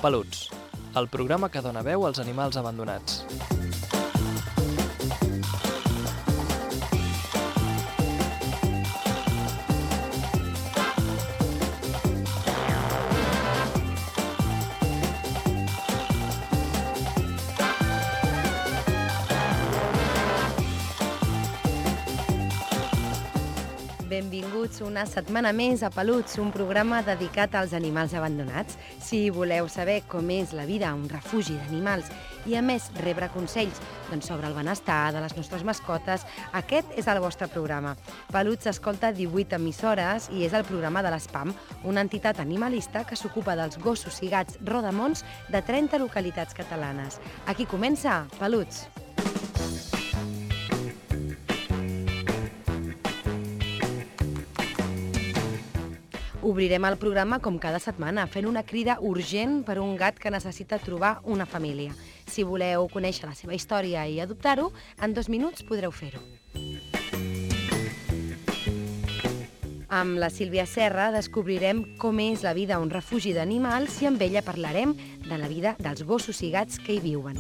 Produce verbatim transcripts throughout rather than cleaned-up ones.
Peluts, el programa que dona veu als animals abandonats. Benvinguts una setmana més a Peluts, un programa dedicat als animals abandonats. Si voleu saber com és la vida a un refugi d'animals i, a més, rebre consells doncs, sobre el benestar de les nostres mascotes, aquest és el vostre programa. Peluts s'escolta a divuit emissores i és el programa de l'ESPAM, una entitat animalista que s'ocupa dels gossos i gats rodamons de trenta localitats catalanes. Aquí comença Peluts. Obrirem el programa com cada setmana, fent una crida urgent per un gat que necessita trobar una família. Si voleu conèixer la seva història i adoptar-ho, en dos minuts podreu fer-ho. Amb la Sílvia Serra descobrirem com és la vida a un refugi d'animals i amb ella parlarem de la vida dels gossos i gats que hi viuen.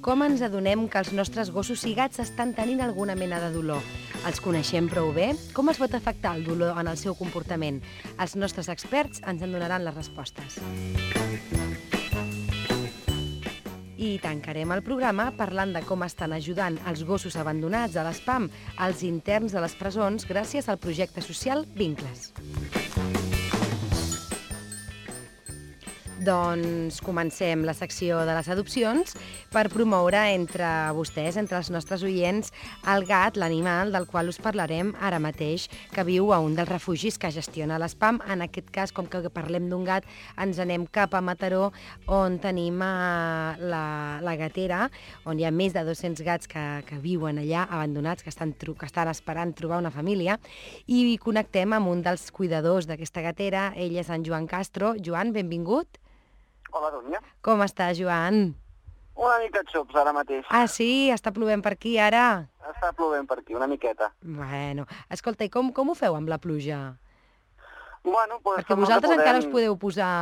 Com ens adonem que els nostres gossos i gats estan tenint alguna mena de dolor? Els coneixem prou bé? Com es pot afectar el dolor en el seu comportament? Els nostres experts ens en donaran les respostes. I tancarem el programa parlant de com estan ajudant els gossos abandonats a l'ESPAM, als interns de les presons, gràcies al projecte social Vincles. Doncs comencem la secció de les adopcions per promoure entre vostès, entre els nostres oients, el gat, l'animal del qual us parlarem ara mateix, que viu a un dels refugis que gestiona l'ESPAM. En aquest cas, com que parlem d'un gat, ens anem cap a Mataró, on tenim la, la gatera, on hi ha més de dos-cents gats que, que viuen allà, abandonats, que estan, que estan esperant trobar una família, i connectem amb un dels cuidadors d'aquesta gatera. Ell és en Joan Castro. Joan, benvingut. Hola, Dúnia. Com està, Joan? Una mica xops ara mateix. Ah, sí? Està plovent per aquí, ara? Està plovent per aquí, una miqueta. Bueno, escolta, i com, com ho feu amb la pluja? Bueno, pues, Perquè vosaltres podem... encara us podeu posar,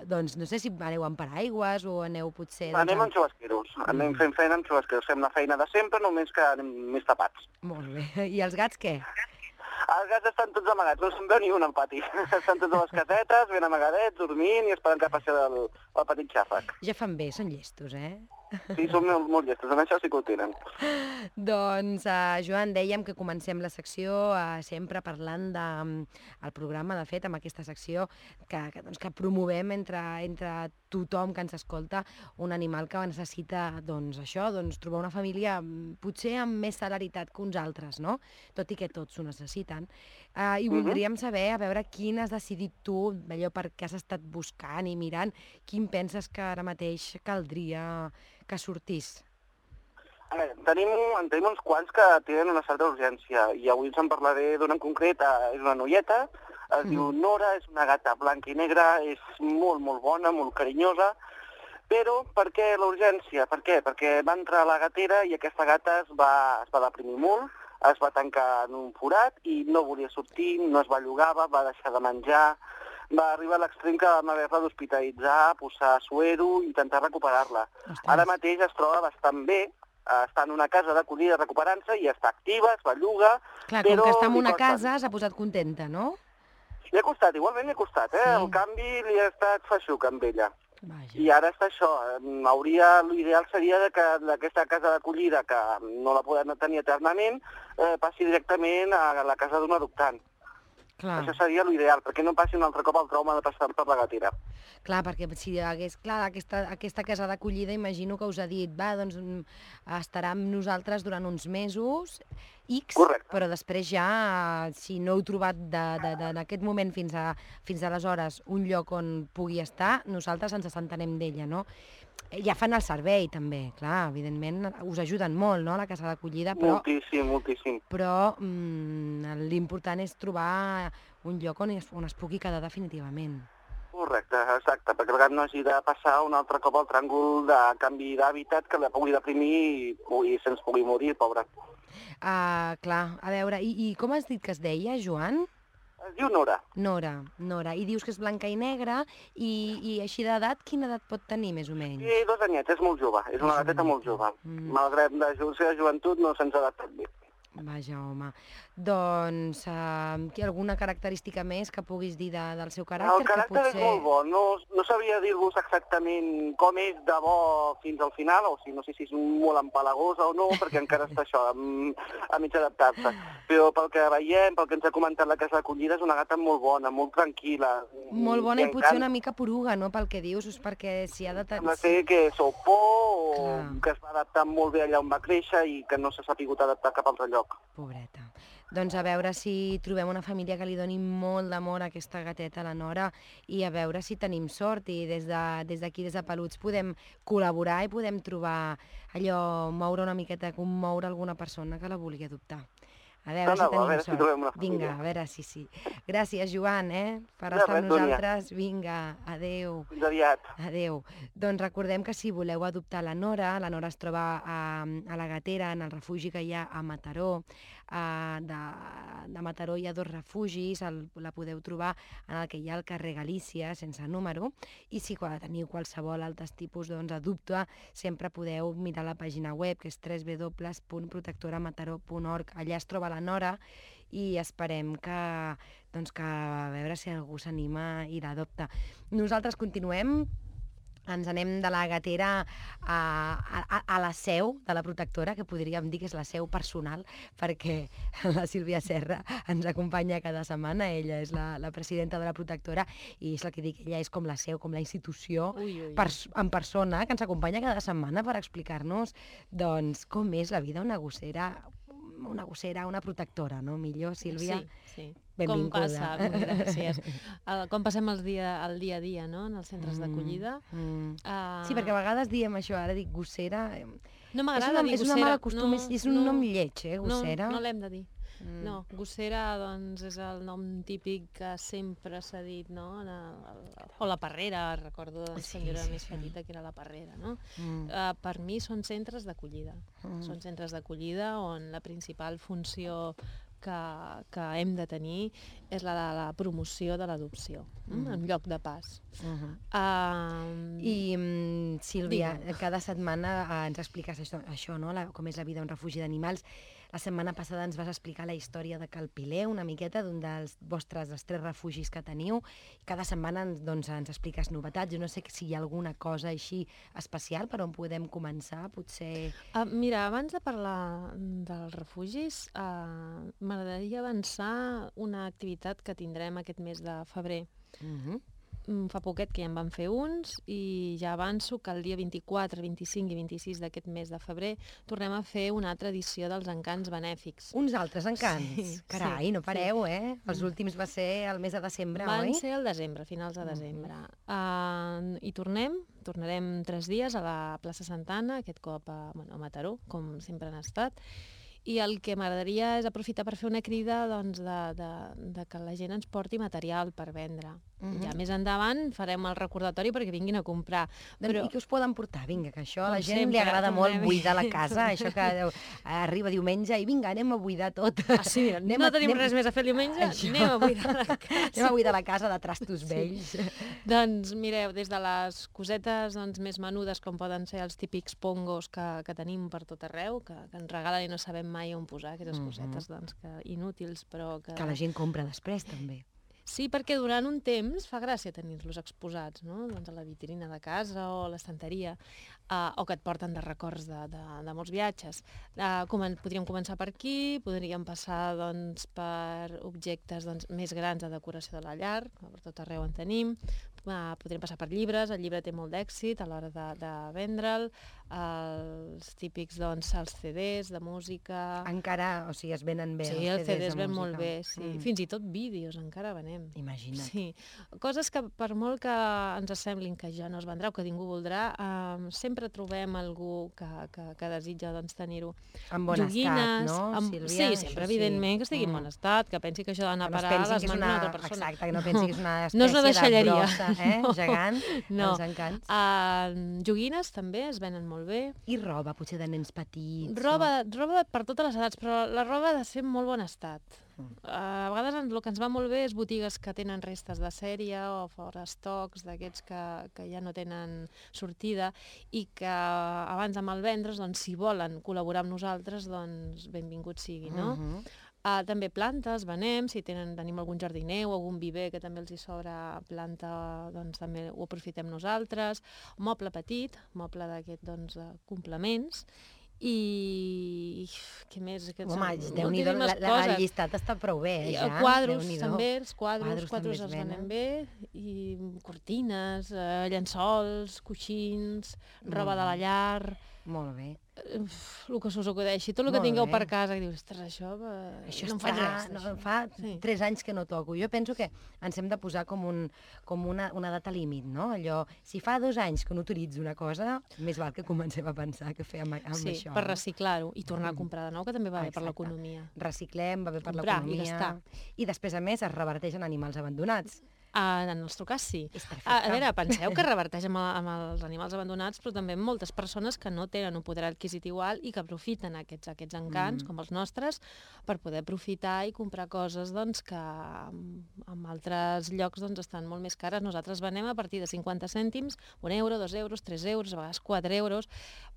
doncs, no sé si aneu amb paraigües o aneu potser... Doncs, anem amb xubasqueros, mm. anem fent feina amb xubasqueros. Fem la feina de sempre, només que anem més tapats. Molt bé. I els gats què? Els gats estan tots amagats, no se'n veu ni un al pati. Estan tots a les casetes, ben amagadets, dormint i esperant que passi el, el petit xàfec. Ja fan bé, són llestos, eh? Sí, són molt, molt llestos, en això sí que ho tenen. Doncs, uh, Joan, dèiem que comencem la secció uh, sempre parlant del um, programa, de fet, amb aquesta secció que, que, doncs, que promovem entre, entre tothom que ens escolta un animal que necessita, doncs, això, doncs, trobar una família potser amb més celeritat que uns altres, no? Tot i que tots ho necessiten. Uh, I voldríem saber, a veure, quin has decidit tu, allò per què has estat buscant i mirant, quin penses que ara mateix caldria que sortís? A veure, tenim, en tenim uns quants que tenen una certa urgència i avui us en parlaré d'un en concret, és una noieta, es mm. diu Nora, és una gata blanca i negra, és molt, molt bona, molt carinyosa, però per què la urgència? Per què? Perquè va entrar a la gatera i aquesta gata es va, es va deprimir molt, es va tancar en un forat i no volia sortir, no es bellugava, va deixar de menjar, va arribar a l'extrem que vam haver-la d'hospitalitzar, posar suero i intentar recuperar-la. Ostres. Ara mateix es troba bastant bé, està en una casa d'acollida recuperant-se i està activa, es belluga... Clar, però com que està en una casa s'ha posat contenta, no? Li ha costat, igualment li ha costat, eh? Sí. El canvi li ha estat feixuc amb ella. Vaja. I ara està això, hauria, l'ideal seria que d'aquesta casa d'acollida, que no la podem tenir eternament, eh, passi directament a la casa d'un adoptant. Clar. Això seria l'ideal, perquè no passi un altre cop el trauma de passar per la gatera. Clar, perquè si hagués, clar, aquesta, aquesta casa d'acollida, imagino que us ha dit, va, doncs estarà amb nosaltres durant uns mesos, X, correcte. Però després ja, si no heu trobat en aquest moment fins, a, fins aleshores un lloc on pugui estar, nosaltres ens assentarem d'ella, no? Ja fan el servei, també, clar, evidentment, us ajuden molt, no?, la casa d'acollida, però... Moltíssim, moltíssim. Però mm, l'important és trobar un lloc on es, on es pugui quedar definitivament. Correcte, exacte, perquè el gat no hagi de passar un altre cop al tràngol de canvi d'hàbitat que la pugui deprimir i, i se'ns pugui morir, pobre. Uh, clar, a veure, i, i com has dit que es deia, Joan? Es diu Nora. Nora, Nora. I dius que és blanca i negra, i, i així d'edat, quina edat pot tenir, més o menys? I dos anyets, és molt jove, és una gateta molt jove. Mm. Malgrat de la seva joventut no se'ns ha adaptat bé. Vaja, home. Doncs, uh, alguna característica més que puguis dir de, del seu caràcter? El caràcter que potser... és molt bo. No, no sabria dir-vos exactament com és de bo fins al final, o sigui, no sé si és molt empalagosa o no, perquè encara està això, a, a mig adaptar-se. Però pel que veiem, pel que ens ha comentat la casa d'acollida, és una gata molt bona, molt tranquil·la. Molt bona i, i potser una mica poruga, no?, pel que dius, és perquè si ha de... Sembla ser que sou por, o Clar. que es va adaptar molt bé allà on va créixer i que no s'ha sapigut adaptar cap altre lloc. Pobreta. Doncs a veure si trobem una família que li doni molt d'amor a aquesta gateta, la Nora, i a veure si tenim sort i des d'aquí, de, des, des de Peluts, podem col·laborar i podem trobar allò, moure una miqueta, commoure alguna persona que la vulgui adoptar. A veure, si, tenim a veure sort. si trobem una família. Vinga, a veure si sí. Gràcies, Joan, eh, per De estar res, amb nosaltres. Vinga, adeu. Fins aviat. Adeu. Doncs recordem que si voleu adoptar la Nora, la Nora es troba a, a la Gatera, en el refugi que hi ha a Mataró. Uh, de, de Mataró hi ha dos refugis, el, la podeu trobar en el que hi ha el carrer Galícia, sense número, i si teniu qualsevol altres tipus doncs, adopte, sempre podeu mirar la pàgina web, que és w w w punt protectora mataró punt org. Allà es troba la Nora i esperem que, doncs, que a veure si algú s'anima i l'adopta. Nosaltres continuem. Ens anem de la Gatera a, a, a la seu de la protectora, que podríem dir que és la seu personal, perquè la Sílvia Serra ens acompanya cada setmana. Ella és la, la presidenta de la protectora i és la que dic, ella és com la seu, com la institució ui, ui, ui. Pers en persona, que ens acompanya cada setmana per explicar-nos doncs, com és la vida una gossera, una gossera, una protectora, no? Millor, Sílvia? Sí, sí. Benvinguda. Com passa, gràcies. El, com passem el dia, el dia a dia, no?, en els centres mm, d'acollida. Mm. Uh... Sí, perquè a vegades diem això, ara dic gossera... No m'agrada dir gossera. És una mala costum, no, és un no, nom lleig, eh, gossera. No, no l'hem de dir. Mm. No, gossera, doncs, és el nom típic que sempre s'ha dit, no? La, la, o la parrera, recordo de la senyora sí, sí, més petita, sí. que era la parrera, no? Mm. Uh, per mi són centres d'acollida. Mm. Són centres d'acollida on la principal funció que, que hem de tenir és la de la promoció de l'adopció, mm. en lloc de pas. Uh-huh. uh, I, um, Sílvia, digue'm. Cada setmana uh, ens expliques això, això no? la, com és la vida a un refugi d'animals. La setmana passada ens vas explicar la història de Calpilé, una miqueta d'un dels vostres, dels tres refugis que teniu. Cada setmana doncs, ens expliques novetats. Jo no sé si hi ha alguna cosa així especial per on podem començar, potser... Uh, mira, abans de parlar dels refugis, uh, m'agradaria avançar una activitat que tindrem aquest mes de febrer. Uh-huh. Fa poquet que ja en van fer uns i ja avanço que el dia vint-i-quatre, vint-i-cinc i vint-i-sis d'aquest mes de febrer tornem a fer una altra edició dels encants benèfics. Uns altres encants? Sí, Carai, sí, no pareu, sí. eh? Els últims va ser el mes de desembre, van oi? Van ser al desembre, finals de desembre. Uh, I tornem, tornarem tres dies a la plaça Santana, aquest cop a, bueno, a Mataró, com sempre han estat. I el que m'agradaria és aprofitar per fer una crida doncs, de, de, de que la gent ens porti material per vendre. Uh-huh. Ja més endavant farem el recordatori perquè vinguin a comprar. Però... I què us poden portar? Vinga, que això a la gent sempre, li agrada molt anem... buidar la casa, això que arriba diumenge i vinga, anem a buidar tot. Ah, sí, anem no a, tenim anem... res més a fer el diumenge? Això. Anem a buidar la casa. Anem a buidar la casa de trastos vells. Sí. Doncs mireu, des de les cosetes doncs, més menudes com poden ser els típics pongos que, que tenim per tot arreu, que, que ens regalen i no sabem mai on posar aquestes uh-huh. cosetes doncs, que, inútils, però que... Que la gent compra després, també. Sí, perquè durant un temps fa gràcia tenir-los exposats, no? Doncs a la vitrina de casa o a l'estanteria, uh, o que et porten de records de, de, de molts viatges. Uh, com, podríem començar per aquí, podríem passar doncs, per objectes doncs, més grans de decoració de la llar, que per tot arreu en tenim. Uh, podríem passar per llibres, el llibre té molt d'èxit a l'hora de, de vendre'l, els típics, doncs, els ce des de música... Encara, o sigui, es venen bé sí, els ce des de música. Sí, els ce des ven molt bé, sí. Mm. Fins i tot vídeos encara venem. Imagina't. Sí. Coses que per molt que ens semblin que ja no es vendrà o que ningú voldrà, eh, sempre trobem algú que, que, que desitja doncs, tenir-ho. En bon Joguines, estat, no, amb... Sílvia? Sí, sempre, això evidentment, sí. que estigui en bon estat, que pensi que això d'anar a parar a les mans d'una altra persona. Exacte, que no pensi que és una espècie no és una de brossa, eh? No. Gegant, no. els encants. Uh, joguines també es venen molt bé. I roba, potser de nens petits. Roba, no? roba per totes les edats, però la roba ha de ser en molt bon estat. A vegades el que ens va molt bé és botigues que tenen restes de sèrie o fora estocs d'aquests que, que ja no tenen sortida i que abans de malvendre's, doncs, si volen col·laborar amb nosaltres, doncs benvingut sigui, no? Mhm. Uh, també plantes, venem, si tenen, tenim algun jardiner o algun viver que també els hi sobra planta, doncs també ho aprofitem nosaltres. Moble petit, moble d'aquest, doncs, de complements. I què més? Aquests, Home, déu-n'hi-do, la, la, el llistat està prou bé, eh, ja. Quadros, també, els quadros, Quadros quadros també es els venem venen. bé, i cortines, eh, llençols, coixins, roba de la llar, Molt bé. eh, el que se us acudeixi, tot el que Molt tingueu bé. per casa, que dius, ostres, això, eh, Això no em està, faig res, no, d'això. fa Sí. tres anys que no toco. Jo penso que ens hem de posar com, un, com una, una data límit, no? Allò, si fa dos anys que no utilitzo una cosa, més val que comencem a pensar què fer amb, amb Sí, això. per no? reciclar-ho i tornar a comprar de nou, que també va bé per Exacte. l'economia. Reciclem, va bé per Comprar i l'economia. gastar. I després, a més, es reverteix en animals abandonats. Ah, en el nostre cas, sí. És perfecte. A, a veure, penseu que reverteix amb, el- amb els animals abandonats, però també amb moltes persones que no tenen un poder adquisitiu alt i que aprofiten aquests, aquests encants, Mm. com els nostres, per poder aprofitar i comprar coses doncs, que en, en altres llocs doncs, estan molt més cares. Nosaltres venem a partir de cinquanta cèntims, un euro, dos euros, tres euros, a vegades quatre euros,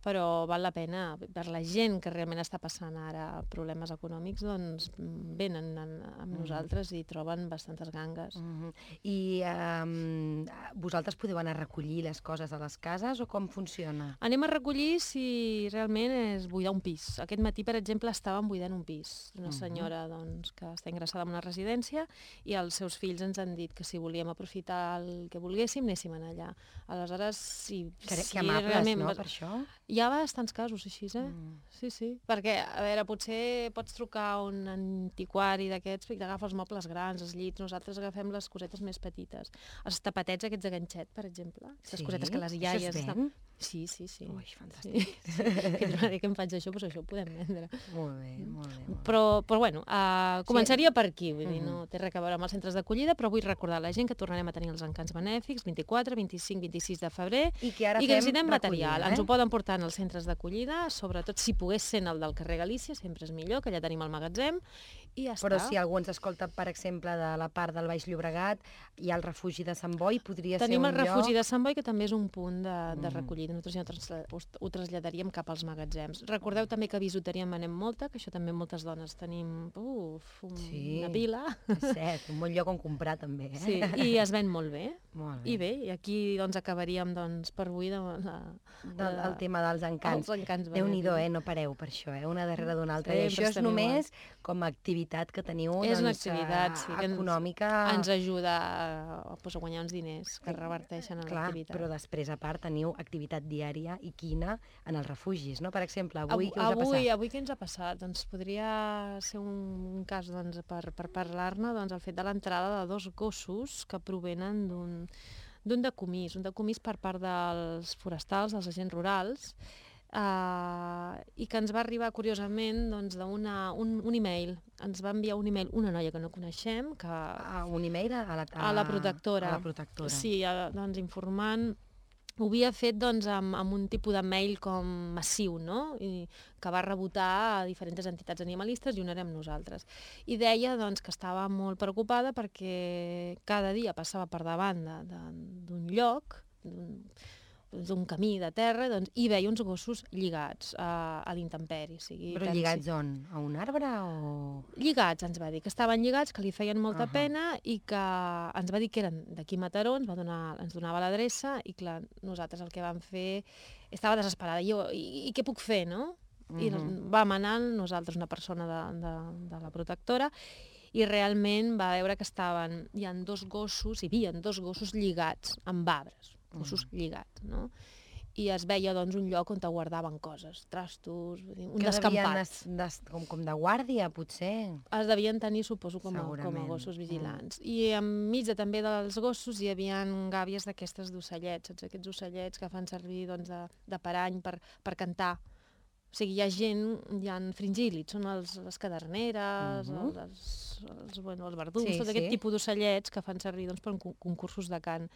però val la pena. Per la gent que realment està passant ara problemes econòmics, doncs venen en, amb nosaltres i troben bastantes gangues. Mhm. I um, vosaltres podeu anar a recollir les coses a les cases o com funciona? Anem a recollir si realment és buidar un pis. Aquest matí, per exemple, estàvem buidant un pis. Una senyora doncs, que està ingressada en una residència i els seus fills ens han dit que si volíem aprofitar el que volguéssim, anéssim allà. Aleshores, si, Que, si que amables, realment... no, per això? Hi ha bastants casos així, eh? Mm. Sí, sí. Perquè, a veure, potser pots trucar a un antiquari d'aquests i t'agafa els mobles grans, els llits. Nosaltres agafem les cosetes més petites. Els tapetets aquests de ganxet, per exemple. Les Sí? cosetes que les Això iaies... es ven? Sí, sí, sí. Ui, fantàstic. Sí, sí. Que tornaré que em faig això, doncs això ho podem vendre. Molt bé, molt bé. Molt bé. Però, però bueno, uh, començaria per aquí, vull dir, Mhm. no té res a veure amb els centres d'acollida, però vull recordar a la gent que tornarem a tenir els encants benèfics vint-i-quatre, vint-i-cinc, vint-i-sis de febrer, I que ara i que fem necessitem recollida, material. eh? Ens ho poden portar en els centres d'acollida, sobretot si pogués ser en el del carrer Galícia, sempre és millor, que allà tenim el magatzem, i ja Però està. si algú ens escolta, per exemple, de la part del Baix Llobregat, hi ha el refugi de Sant Boi, podria Tenim ser el un refugi lloc... de Sant Boi, que també és un punt de, de Mhm. recollida. Nosaltres ja ho, trasla- ho, ho traslladaríem cap als magatzems. Recordeu també que a bisuteria en venem molta, que això també moltes dones tenim uf, un, Sí. una pila. És cert, un bon lloc on comprar, també, eh? Sí, i es ven molt bé. Molt bé. I bé, i aquí doncs, acabaríem doncs, per avui de, la, Del, el tema dels encants. Els encants Déu-n'hi-do, benèfics. eh? No pareu per això, eh? Una darrere d'una altra. I Sempre això és estem només com a activitat que teniu És una doncs, activitat, eh, sí, que ens- econòmica. Ens ajuda a, pues, a guanyar uns diners que reverteixen en Clar, l'activitat. però després, a part, teniu activitat diària i quina en els refugis, no? Per exemple, avui, què us ha avui, passat? avui què ens ha passat? Doncs podria ser un, un cas doncs, per, per parlar-ne, doncs, el fet de l'entrada de dos gossos que provenen d'un d'un decomís, un decomís per part dels forestals, dels agents rurals, Uh, i que ens va arribar, curiosament, doncs, d'un un, un e-mail. Ens va enviar un e-mail una noia que no coneixem, que, Ah, un e-mail a la, a la protectora. A la protectora. Sí, a, doncs, informant. Ho havia fet doncs, amb, amb un tipus de mail com massiu, no? I que va rebotar a diferents entitats animalistes i una érem nosaltres. I deia doncs, que estava molt preocupada perquè cada dia passava per davant de- de- d'un lloc, d'un d'un camí de terra, doncs, i veia uns gossos lligats a, a l'intemperi. O sigui, Però tant lligats si- on? A un arbre o...? Lligats, ens va dir, que estaven lligats, que li feien molta Ahà. pena i que ens va dir que eren d'aquí Mataró, ens, va donar, ens donava l'adreça i clar, nosaltres el que vam fer... Estava desesperada, i jo, i, i què puc fer, no? I Mhm. vam anar nosaltres, una persona de, de, de la protectora, i realment va veure que estaven, hi ha dos gossos, hi havia dos gossos lligats amb arbres, gossos lligats, no? I es veia doncs, un lloc on te guardaven coses, trastos, vull dir, un Que devien descampat. es- des, com, com de guàrdia, potser. Es devien tenir, suposo, com a, com a Segurament. gossos vigilants. Mm. I enmig de, també dels gossos hi havia gàbies d'aquestes d'ocellets, saps? Aquests ocellets que fan servir doncs, de, de parany per, per cantar. O sigui, hi ha gent, hi ha fringílids, són els, les caderneres, Mhm. els, els, els, bueno, els verdums, Sí, tot aquest sí. tipus d'ocellets que fan servir doncs, per con- concursos de cant.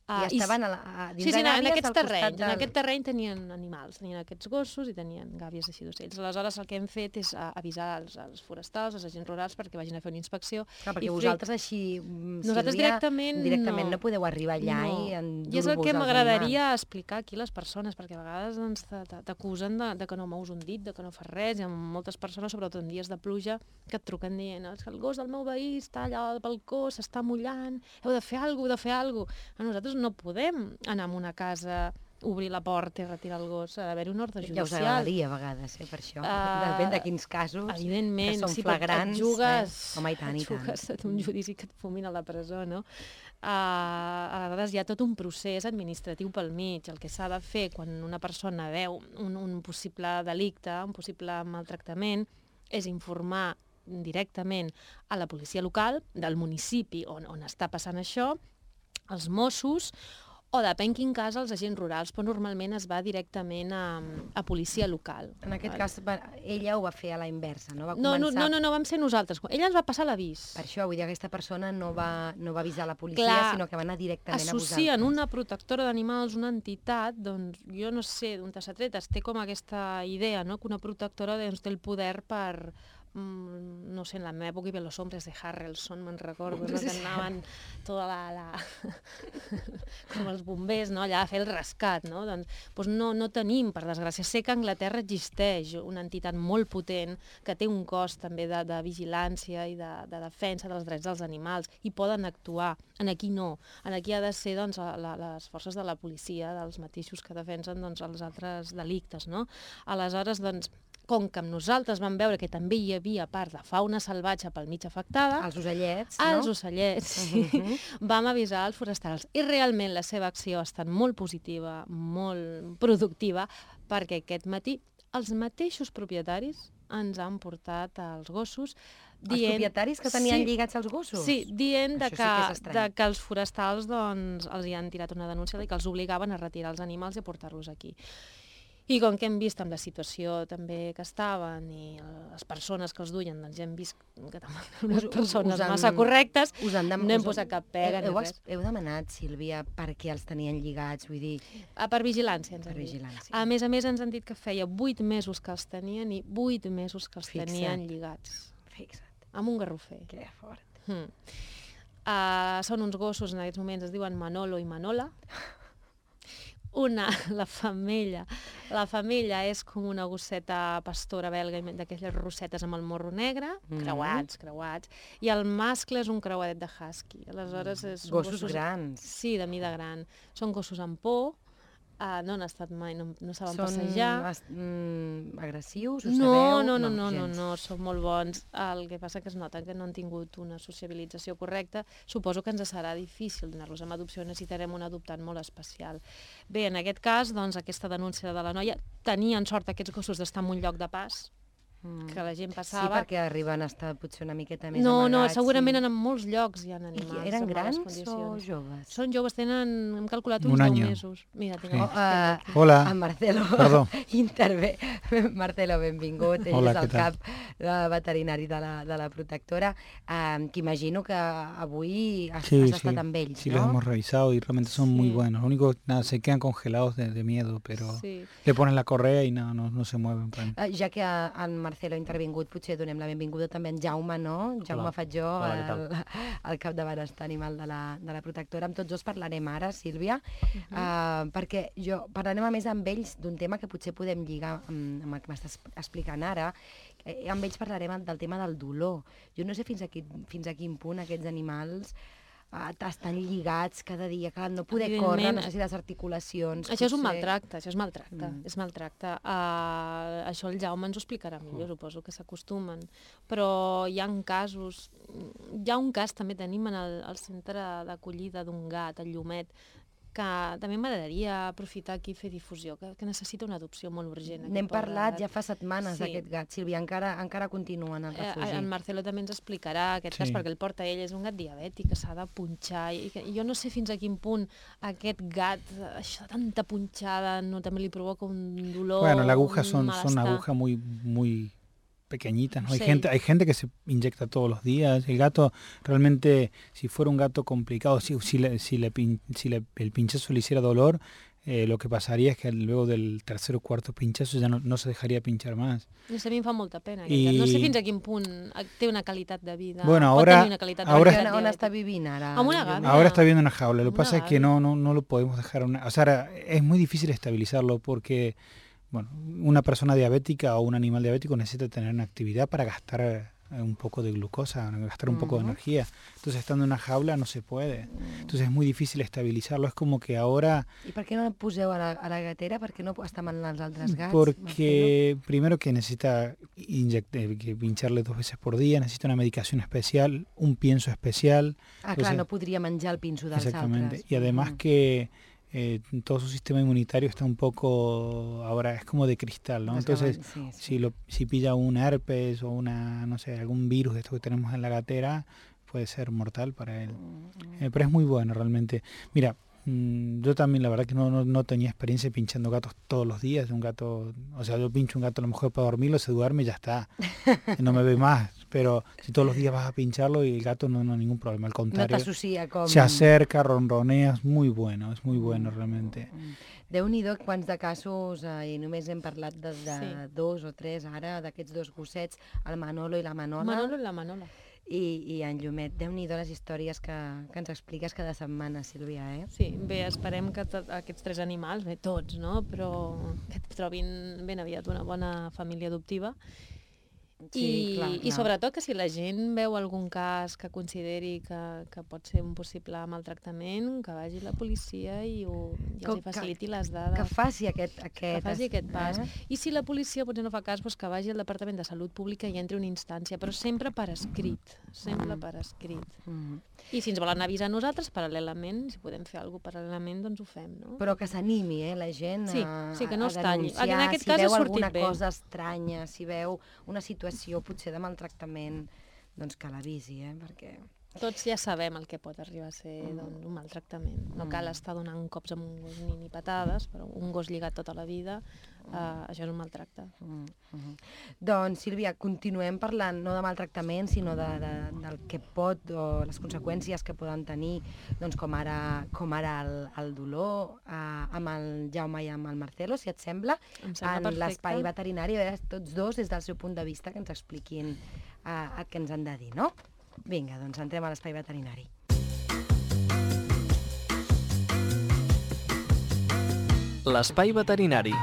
I estaven a la, a, dins sí, sí, de en gàbies aquests al costat terrenys, del... en aquest terreny tenien animals, tenien aquests gossos i tenien gàbies així d'ocells. Aleshores el que hem fet és a, avisar els, els forestals, els agents rurals, perquè vagin a fer una inspecció. Clar, perquè i vosaltres així, mm, Nosaltres Sílvia, directament, directament no. no podeu arribar allà No. i endur-vos I és el que als m'agradaria animals. explicar aquí a les persones, perquè a vegades doncs, t'acusen de, de que no mous un dit, de que no fas res. Hi ha moltes persones, sobretot en dies de pluja, que et truquen dient "És que el gos del meu veí està allà al balcó, s'està mullant, heu de fer alguna cosa, heu de fer alguna cosa". Nosaltres no podem anar a una casa, obrir la porta i retirar el gos, ha d'haver-hi una ordre judicial. Ja us agradaria a vegades, eh, per això. Uh, Depèn de quins casos, evidentment, que són sí, flagrants. Et jugues, eh? Home, i tant, i et tant. jugues a un judici que et fumin a la presó, no? Uh, a vegades hi ha tot un procés administratiu pel mig. El que s'ha de fer quan una persona veu un, un possible delicte, un possible maltractament, és informar directament a la policia local del municipi on, on està passant això, els Mossos, o depèn quin cas els agents rurals, però normalment es va directament a, a policia local. En aquest cas, va, ella ho va fer a la inversa, no? Va no, començar... no, no, no, vam ser nosaltres. Ella ens va passar l'avís. Per això, vull dir, aquesta persona no va, no va avisar la policia, Clar, sinó que va anar directament a vosaltres. associen una protectora d'animals, una entitat, doncs jo no sé d'on s'ha tret, es té com aquesta idea, no?, que una protectora doncs, té el poder per... no sé, en la meva època hi havia Los Hombres de Harrelson, me'n recordo, no? Que anaven tota la, la... com els bombers, no? Allà a fer el rescat, no? Doncs, doncs no, no tenim, per desgràcia. Sé que a Anglaterra existeix una entitat molt potent que té un cos també de, de vigilància i de, de defensa dels drets dels animals i poden actuar. En aquí no. En aquí ha de ser doncs, la, les forces de la policia, dels mateixos que defensen doncs, els altres delictes, no? Aleshores, doncs, com que amb nosaltres vam veure que també hi havia part de fauna salvatge pel mig afectada... Els ocellets, no? Els ocellets, sí. Uh -huh. Vam avisar els forestals. I realment la seva acció ha estat molt positiva, molt productiva, perquè aquest matí els mateixos propietaris ens han portat els gossos dient... Els propietaris que tenien sí, lligats els gossos? Sí, dient de Això que, sí que és de que els forestals doncs, els hi han tirat una denúncia i que els obligaven a retirar els animals i a portar-los aquí. I com que hem vist amb la situació també que estaven i les persones que els duien, doncs ja hem vist que també eren unes persones han, massa correctes, us han dem... no hem posat cap pega heu, ni res. Heu demanat, Sílvia, per què els tenien lligats? Vull dir... Ah, per vigilància, ens per han dit. vigilància. A més a més, ens han dit que feia vuit mesos que els tenien i vuit mesos que els Fixa't. tenien lligats. Fixa't. Amb un garrofer. Que fort. Hmm. Uh, són uns gossos, en aquests moments es diuen Manolo i Manola. Una, la femella, la femella és com una gosseta pastora belga d'aquelles rossetes amb el morro negre, mm. creuats, creuats, i el mascle és un creuadet de husky. Aleshores és gossos, gossos grans. Sí, de mida gran. Són gossos amb por, uh, no han estat mai, no, no saben són passejar. Són mm, agressius, ho no, sabeu? No, no, no, no, gens. no, no, són molt bons. El que passa que es nota que no han tingut una sociabilització correcta. Suposo que ens serà difícil donar-los amb adopció, necessitarem un adoptant molt especial. Bé, en aquest cas, doncs, aquesta denúncia de la noia, tenien sort aquests gossos d'estar en un lloc de pas, mm. que la gent passava. Sí, perquè arriben a estar potser una miqueta més no, amagats. No, segurament i... en molts llocs hi ha animals. I eren en grans condicions. o joves? Són joves, tenen, hem calculat uns un deu año. mesos. Mira, tinc Sí. Oh, uh, Hola. En Marcelo Perdó. intervé. Marcelo, benvingut. Ell Hola, és el què tal? cap de veterinari de la, de la protectora, um, que imagino que avui has, Sí, has sí, estat amb ells, sí, no? los hemos revisado y realmente son Sí. muy buenos. Lo único, nada, se quedan congelados de, de miedo, pero Sí. le ponen la correa y no, no, no se mueven. Uh, ja que en Marcelo ha intervingut, potser donem la benvinguda també en Jaume, no? Jaume Hola. Fatjó, Hola, què el, el cap de benestar animal de la, de la protectora. Amb tots dos parlarem ara, Sílvia, Uh-huh. uh, perquè jo parlarem a més amb ells d'un tema que potser podem lligar amb, amb el que m'estàs explicant ara. Eh, amb ells parlarem del tema del dolor. Jo no sé fins a quin, fins a quin punt aquests animals uh, estan lligats cada dia, que no poder córrer, no sé si les articulacions... Això és un potser- maltracte, això és maltracte, Mm. és maltracte. Uh, això el Jaume ens ho explicarà millor, suposo que s'acostumen. Però hi ha casos... Hi ha un cas també tenim en el, el centre d'acollida d'un gat, el Llumet, que també m'agradaria aprofitar aquí i fer difusió, que, que necessita una adopció molt urgent. N'hem aquest pobre parlat gat. ja fa setmanes Sí. d'aquest gat, Sílvia, encara, encara continua en el Eh, refugi. en Marcelo també ens explicarà aquest Sí. cas, perquè el porta ell, és un gat diabètic que s'ha de punxar, i, que, i jo no sé fins a quin punt aquest gat, això de tanta punxada, no, també li provoca un dolor, Bueno, la aguja un son, son malestar. agujas muy, muy pequeñitas, ¿no? Hay Sí. gente, hay gente que se inyecta todos los días. El gato realmente, si fuera un gato complicado, si, si, le, si, le, pin- si le- el pinchazo le hiciera dolor, eh, lo que pasaría es que luego del tercer o cuarto pinchazo ya no, no se dejaría pinchar más. No sé, a mi em fa molta pena. I- I... No sé fins a quin punt té una qualitat de vida. Bueno, pot ahora- tenir una qualitat de ahora- vida. On, on està vivint ara? Amb una Llumé? gata. Ahora está viendo una jaula. Lo que Una pasa es que gavi. no, no, no lo podemos dejar. Una, o sea, ahora es muy difícil estabilizarlo porque, bueno, una persona diabética o un animal diabético necesita tener una actividad para gastar eh, un poco de glucosa, gastar un poco de Ujú. energía. Entonces, estando en una jaula no se puede. Entonces, es muy difícil estabilizarlo. Es como que ahora, I per què no el poseu a la, a la gatera? Per què no està amb els altres gats? porque primero que necesita inyect- eh, que pincharle dos veces por día, necesita una medicación especial, un pienso especial. Marcelo? Ah, clar, Entonces- no podria menjar el pinso dels Exactamente. altres. Y además Mhm. que eh, todo su sistema inmunitario está un poco, ahora es como de cristal, ¿no? Entonces, Desgavant, sí, sí. si lo si pilla un herpes o una, no sé, algún virus de esto que tenemos en la gatera, puede ser mortal para él. Eh, pero es muy bueno realmente. Mira, mm, yo también la verdad que no, no, no tenía experiencia pinchando gatos todos los días. Un gato, o sea, yo pincho un gato a lo mejor para dormirlo, se duerme y ya está. Y no me ve más. Pero si todos los días vas a pincharlo y el gato no, no ningún problema, al No contrario. t'associa com... Se acerca, ronronea, es muy bueno, es muy bueno realmente. Déu-n'hi-do quants de casos, eh, i només hem parlat de, de Sí. dos o tres ara, d'aquests dos gossets, el Manolo i la Manola, Manolo i la Manola. i, i en Llumet. Déu-n'hi-do les històries que, que ens expliques cada setmana, Sílvia, eh? Sí, bé, esperem que tot, aquests tres animals, bé, tots, no?, però que trobin ben aviat una bona família adoptiva. I, clar, I clar. sobretot que si la gent veu algun cas que consideri que, que pot ser un possible maltractament, que vagi la policia i, ho, i Que- els hi faciliti les dades. Que faci aquest... aquest que faci aquest pas. Eh? I si la policia potser no fa cas, doncs que vagi al Departament de Salut Pública i entri una instància, però sempre per escrit, sempre per escrit. Mm. I si ens volen avisar a nosaltres, paral·lelament, si podem fer alguna cosa paral·lelament, doncs ho fem, no? Però que s'animi, eh, la gent Sí, a, sí, que no a es talli. denunciar. En aquest si cas ha veu sortit alguna bé. cosa estranya, si veu una situació potser de maltractament, doncs que l'avisi, eh, perquè... Tots ja sabem el que pot arribar a ser doncs, un maltractament. No cal estar donant cops amb un gos ni, ni patades, però un gos lligat tota la vida, eh, això és un maltracte. Mm -hmm. Doncs, Sílvia, continuem parlant no de maltractament, sinó de, de, del que pot, o les conseqüències que poden tenir, doncs com ara, com ara el, el dolor, eh, amb el Jaume i amb el Marcelo, si et sembla, Em sembla en perfecte. l'espai veterinari, a veure, tots dos, des del seu punt de vista, que ens expliquin eh, el que ens han de dir, no? Vinga, doncs entrem a l'espai veterinari. L'espai veterinari.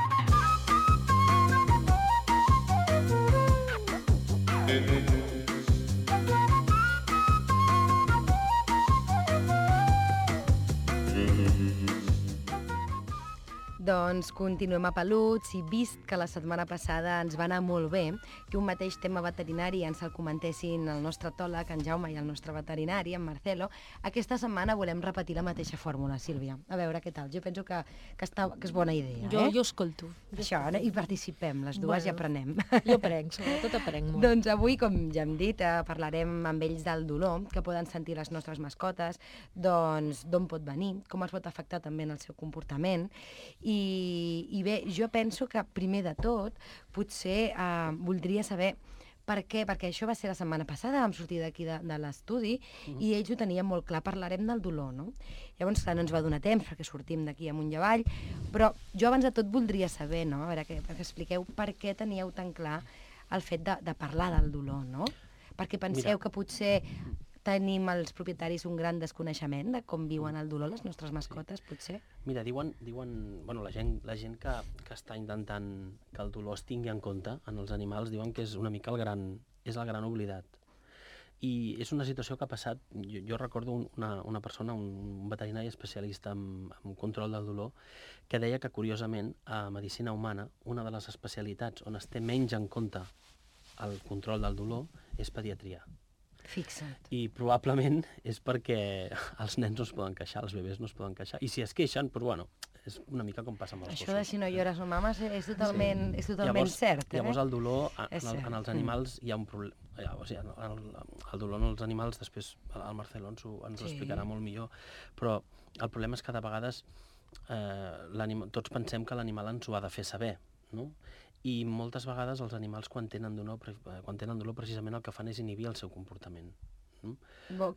Doncs continuem a Peluts i vist que la setmana passada ens va anar molt bé que un mateix tema veterinari ens el comentessin el nostre etòleg, en Jaume, i el nostre veterinari, en Marcelo, aquesta setmana volem repetir la mateixa fórmula, Sílvia. A veure què tal. Jo penso que, que, està, que és bona idea, Jo, eh? jo escolto. Això, no? I participem, les dues, Bueno. i aprenem. Jo aprenc, sobretot aprenc molt. Doncs avui, com ja hem dit, eh, parlarem amb ells del dolor que poden sentir les nostres mascotes, doncs d'on pot venir, com els pot afectar també en el seu comportament. I, i bé, jo penso que primer de tot potser eh, voldria saber per què, perquè això va ser la setmana passada, vam sortir d'aquí de, de l'estudi uh-huh. i ells ho tenien molt clar, parlarem del dolor, no? Llavors, clar, no ens va donar temps perquè sortim d'aquí amunt i avall, però jo abans de tot voldria saber, no? A veure, que, que expliqueu per què teníeu tan clar el fet de, de parlar del dolor, no? Perquè penseu Mira. que potser tenim els propietaris un gran desconeixement de com viuen el dolor les nostres mascotes, potser? Mira, diuen, diuen bueno, la gent, la gent que, que està intentant que el dolor es tingui en compte en els animals, diuen que és una mica el gran, és el gran oblidat. I és una situació que ha passat, jo, jo recordo un, una, una persona, un veterinari especialista en, en control del dolor, que deia que, curiosament, a medicina humana, una de les especialitats on es té menys en compte el control del dolor és pediatria. Fixa't. I probablement és perquè els nens no es poden queixar, els bebès no es poden queixar. I si es queixen, però bueno, és una mica com passa amb els Això de gossos. si no llores no mames és totalment, sí. és totalment llavors, cert, eh? Llavors el dolor en, És el, cert. en els animals hi ha un problema. O sigui, el, el dolor en els animals, després el Marcelo ens ho, ens ho Sí. explicarà molt millor, però el problema és que de vegades eh, tots pensem que l'animal ens ho ha de fer saber, no? i moltes vegades els animals quan tenen dolor, quan tenen dolor precisament el que fan és inhibir el seu comportament. Mm?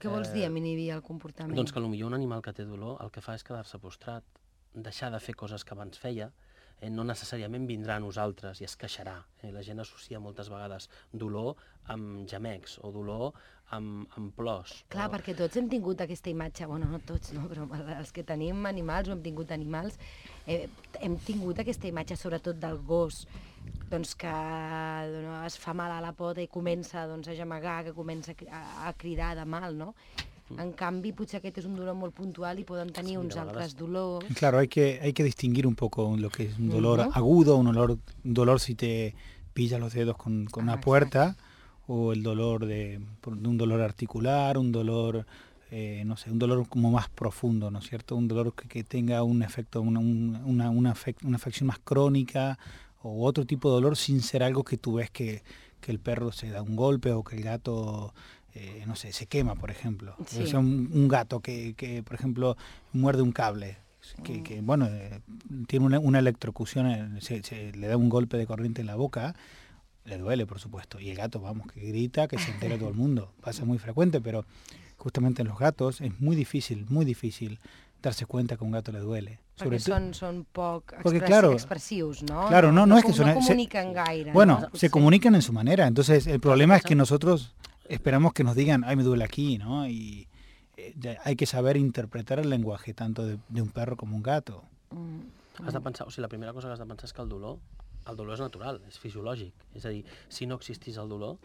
Què vols dir amb inhibir el comportament? Doncs que potser un animal que té dolor el que fa és quedar-se postrat, deixar de fer coses que abans feia, eh, no necessàriament vindrà a nosaltres i es queixarà. Eh? La gent associa moltes vegades dolor amb gemecs o dolor amb, amb plors. Clar, o... perquè tots hem tingut aquesta imatge, bueno, no tots, no, però els que tenim animals o hem tingut animals, eh, hem tingut aquesta imatge sobretot del gos, doncs que doncs, es fa mal a la pota i comença doncs, a gemegar, que comença a, a cridar de mal, no? En canvi, potser aquest és un dolor molt puntual i poden tenir sí, uns altres dolors. Claro, hay que, hay que distinguir un poco lo que es un dolor uh-huh. agudo, un dolor, un dolor si te pillas los dedos con, con ah, una puerta, exacto. O el dolor de, de un dolor articular, un dolor, eh, no sé, un dolor como más profundo, ¿no es cierto? Un dolor que, que tenga un efecto, una, una, una, afec, una afección más crónica o otro tipo de dolor sin ser algo que tú ves que, que el perro se da un golpe o que el gato... Eh, no sé, se quema, por ejemplo. Sí. O sea, un, un gato que, que, por ejemplo, muerde un cable, que, que bueno, eh, tiene una, una electrocución, eh, se, se le da un golpe de corriente en la boca, le duele, por supuesto. Y el gato, vamos, que grita, que se entera todo el mundo. Pasa muy frecuente, pero justamente en los gatos es muy difícil, muy difícil darse cuenta que a un gato le duele. Perquè són, són poc Porque, express, claro, expressius, ¿no? Claro, no, no, no es que son, no comunican se, gaire. Bueno, ¿no? se comunican en su manera. Entonces, el problema es que nosotros esperamos que nos digan, ay, me duele aquí, ¿no? Y eh, hay que saber interpretar el lenguaje tanto de, de un perro como un gato. Mm. Has de pensar, o sigui, la primera cosa que has de pensar és que el dolor, el dolor és natural, és fisiològic. És a dir, si no existís el dolor,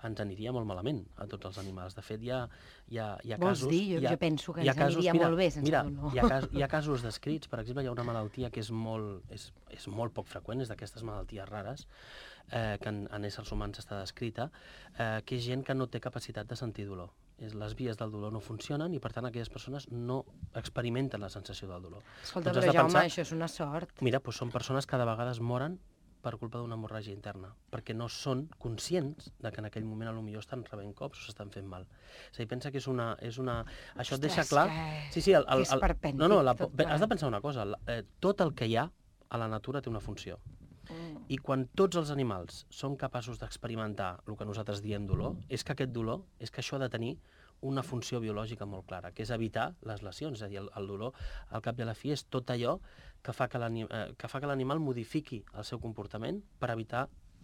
ens aniria molt malament a tots els animals. De fet, hi ha, hi ha, hi ha Vols casos... dir? Jo, ha, jo penso que ens casos, aniria mira, molt bé sense mira, dolor. Hi ha, cas, hi ha casos descrits, per exemple, hi ha una malaltia que és molt, és, és molt poc freqüent, és d'aquestes malalties rares, eh, que en, en éssers humans està descrita, eh, que és gent que no té capacitat de sentir dolor. És, les vies del dolor no funcionen i, per tant, aquelles persones no experimenten la sensació del dolor. Escolta, doncs però Jaume, pensar, això és una sort. Mira, doncs són persones que de vegades moren per culpa d'una hemorràgia interna, perquè no són conscients de que en aquell moment potser estan rebent cops o s'estan fent mal. És a dir, pensa que és una... És una... Això et deixa clar... Que... Sí, sí, el, el, el... que és perpèntic. No, no, la... has de pensar una cosa, eh, tot el que hi ha a la natura té una funció. Mm. I quan tots els animals són capaços d'experimentar el que nosaltres diem dolor, és que aquest dolor, és que això ha de tenir una funció biològica molt clara, que és evitar les lesions. És a dir, el, el dolor, al cap i a la fi, és tot allò que fa que l'animal modifiqui el seu comportament per evitar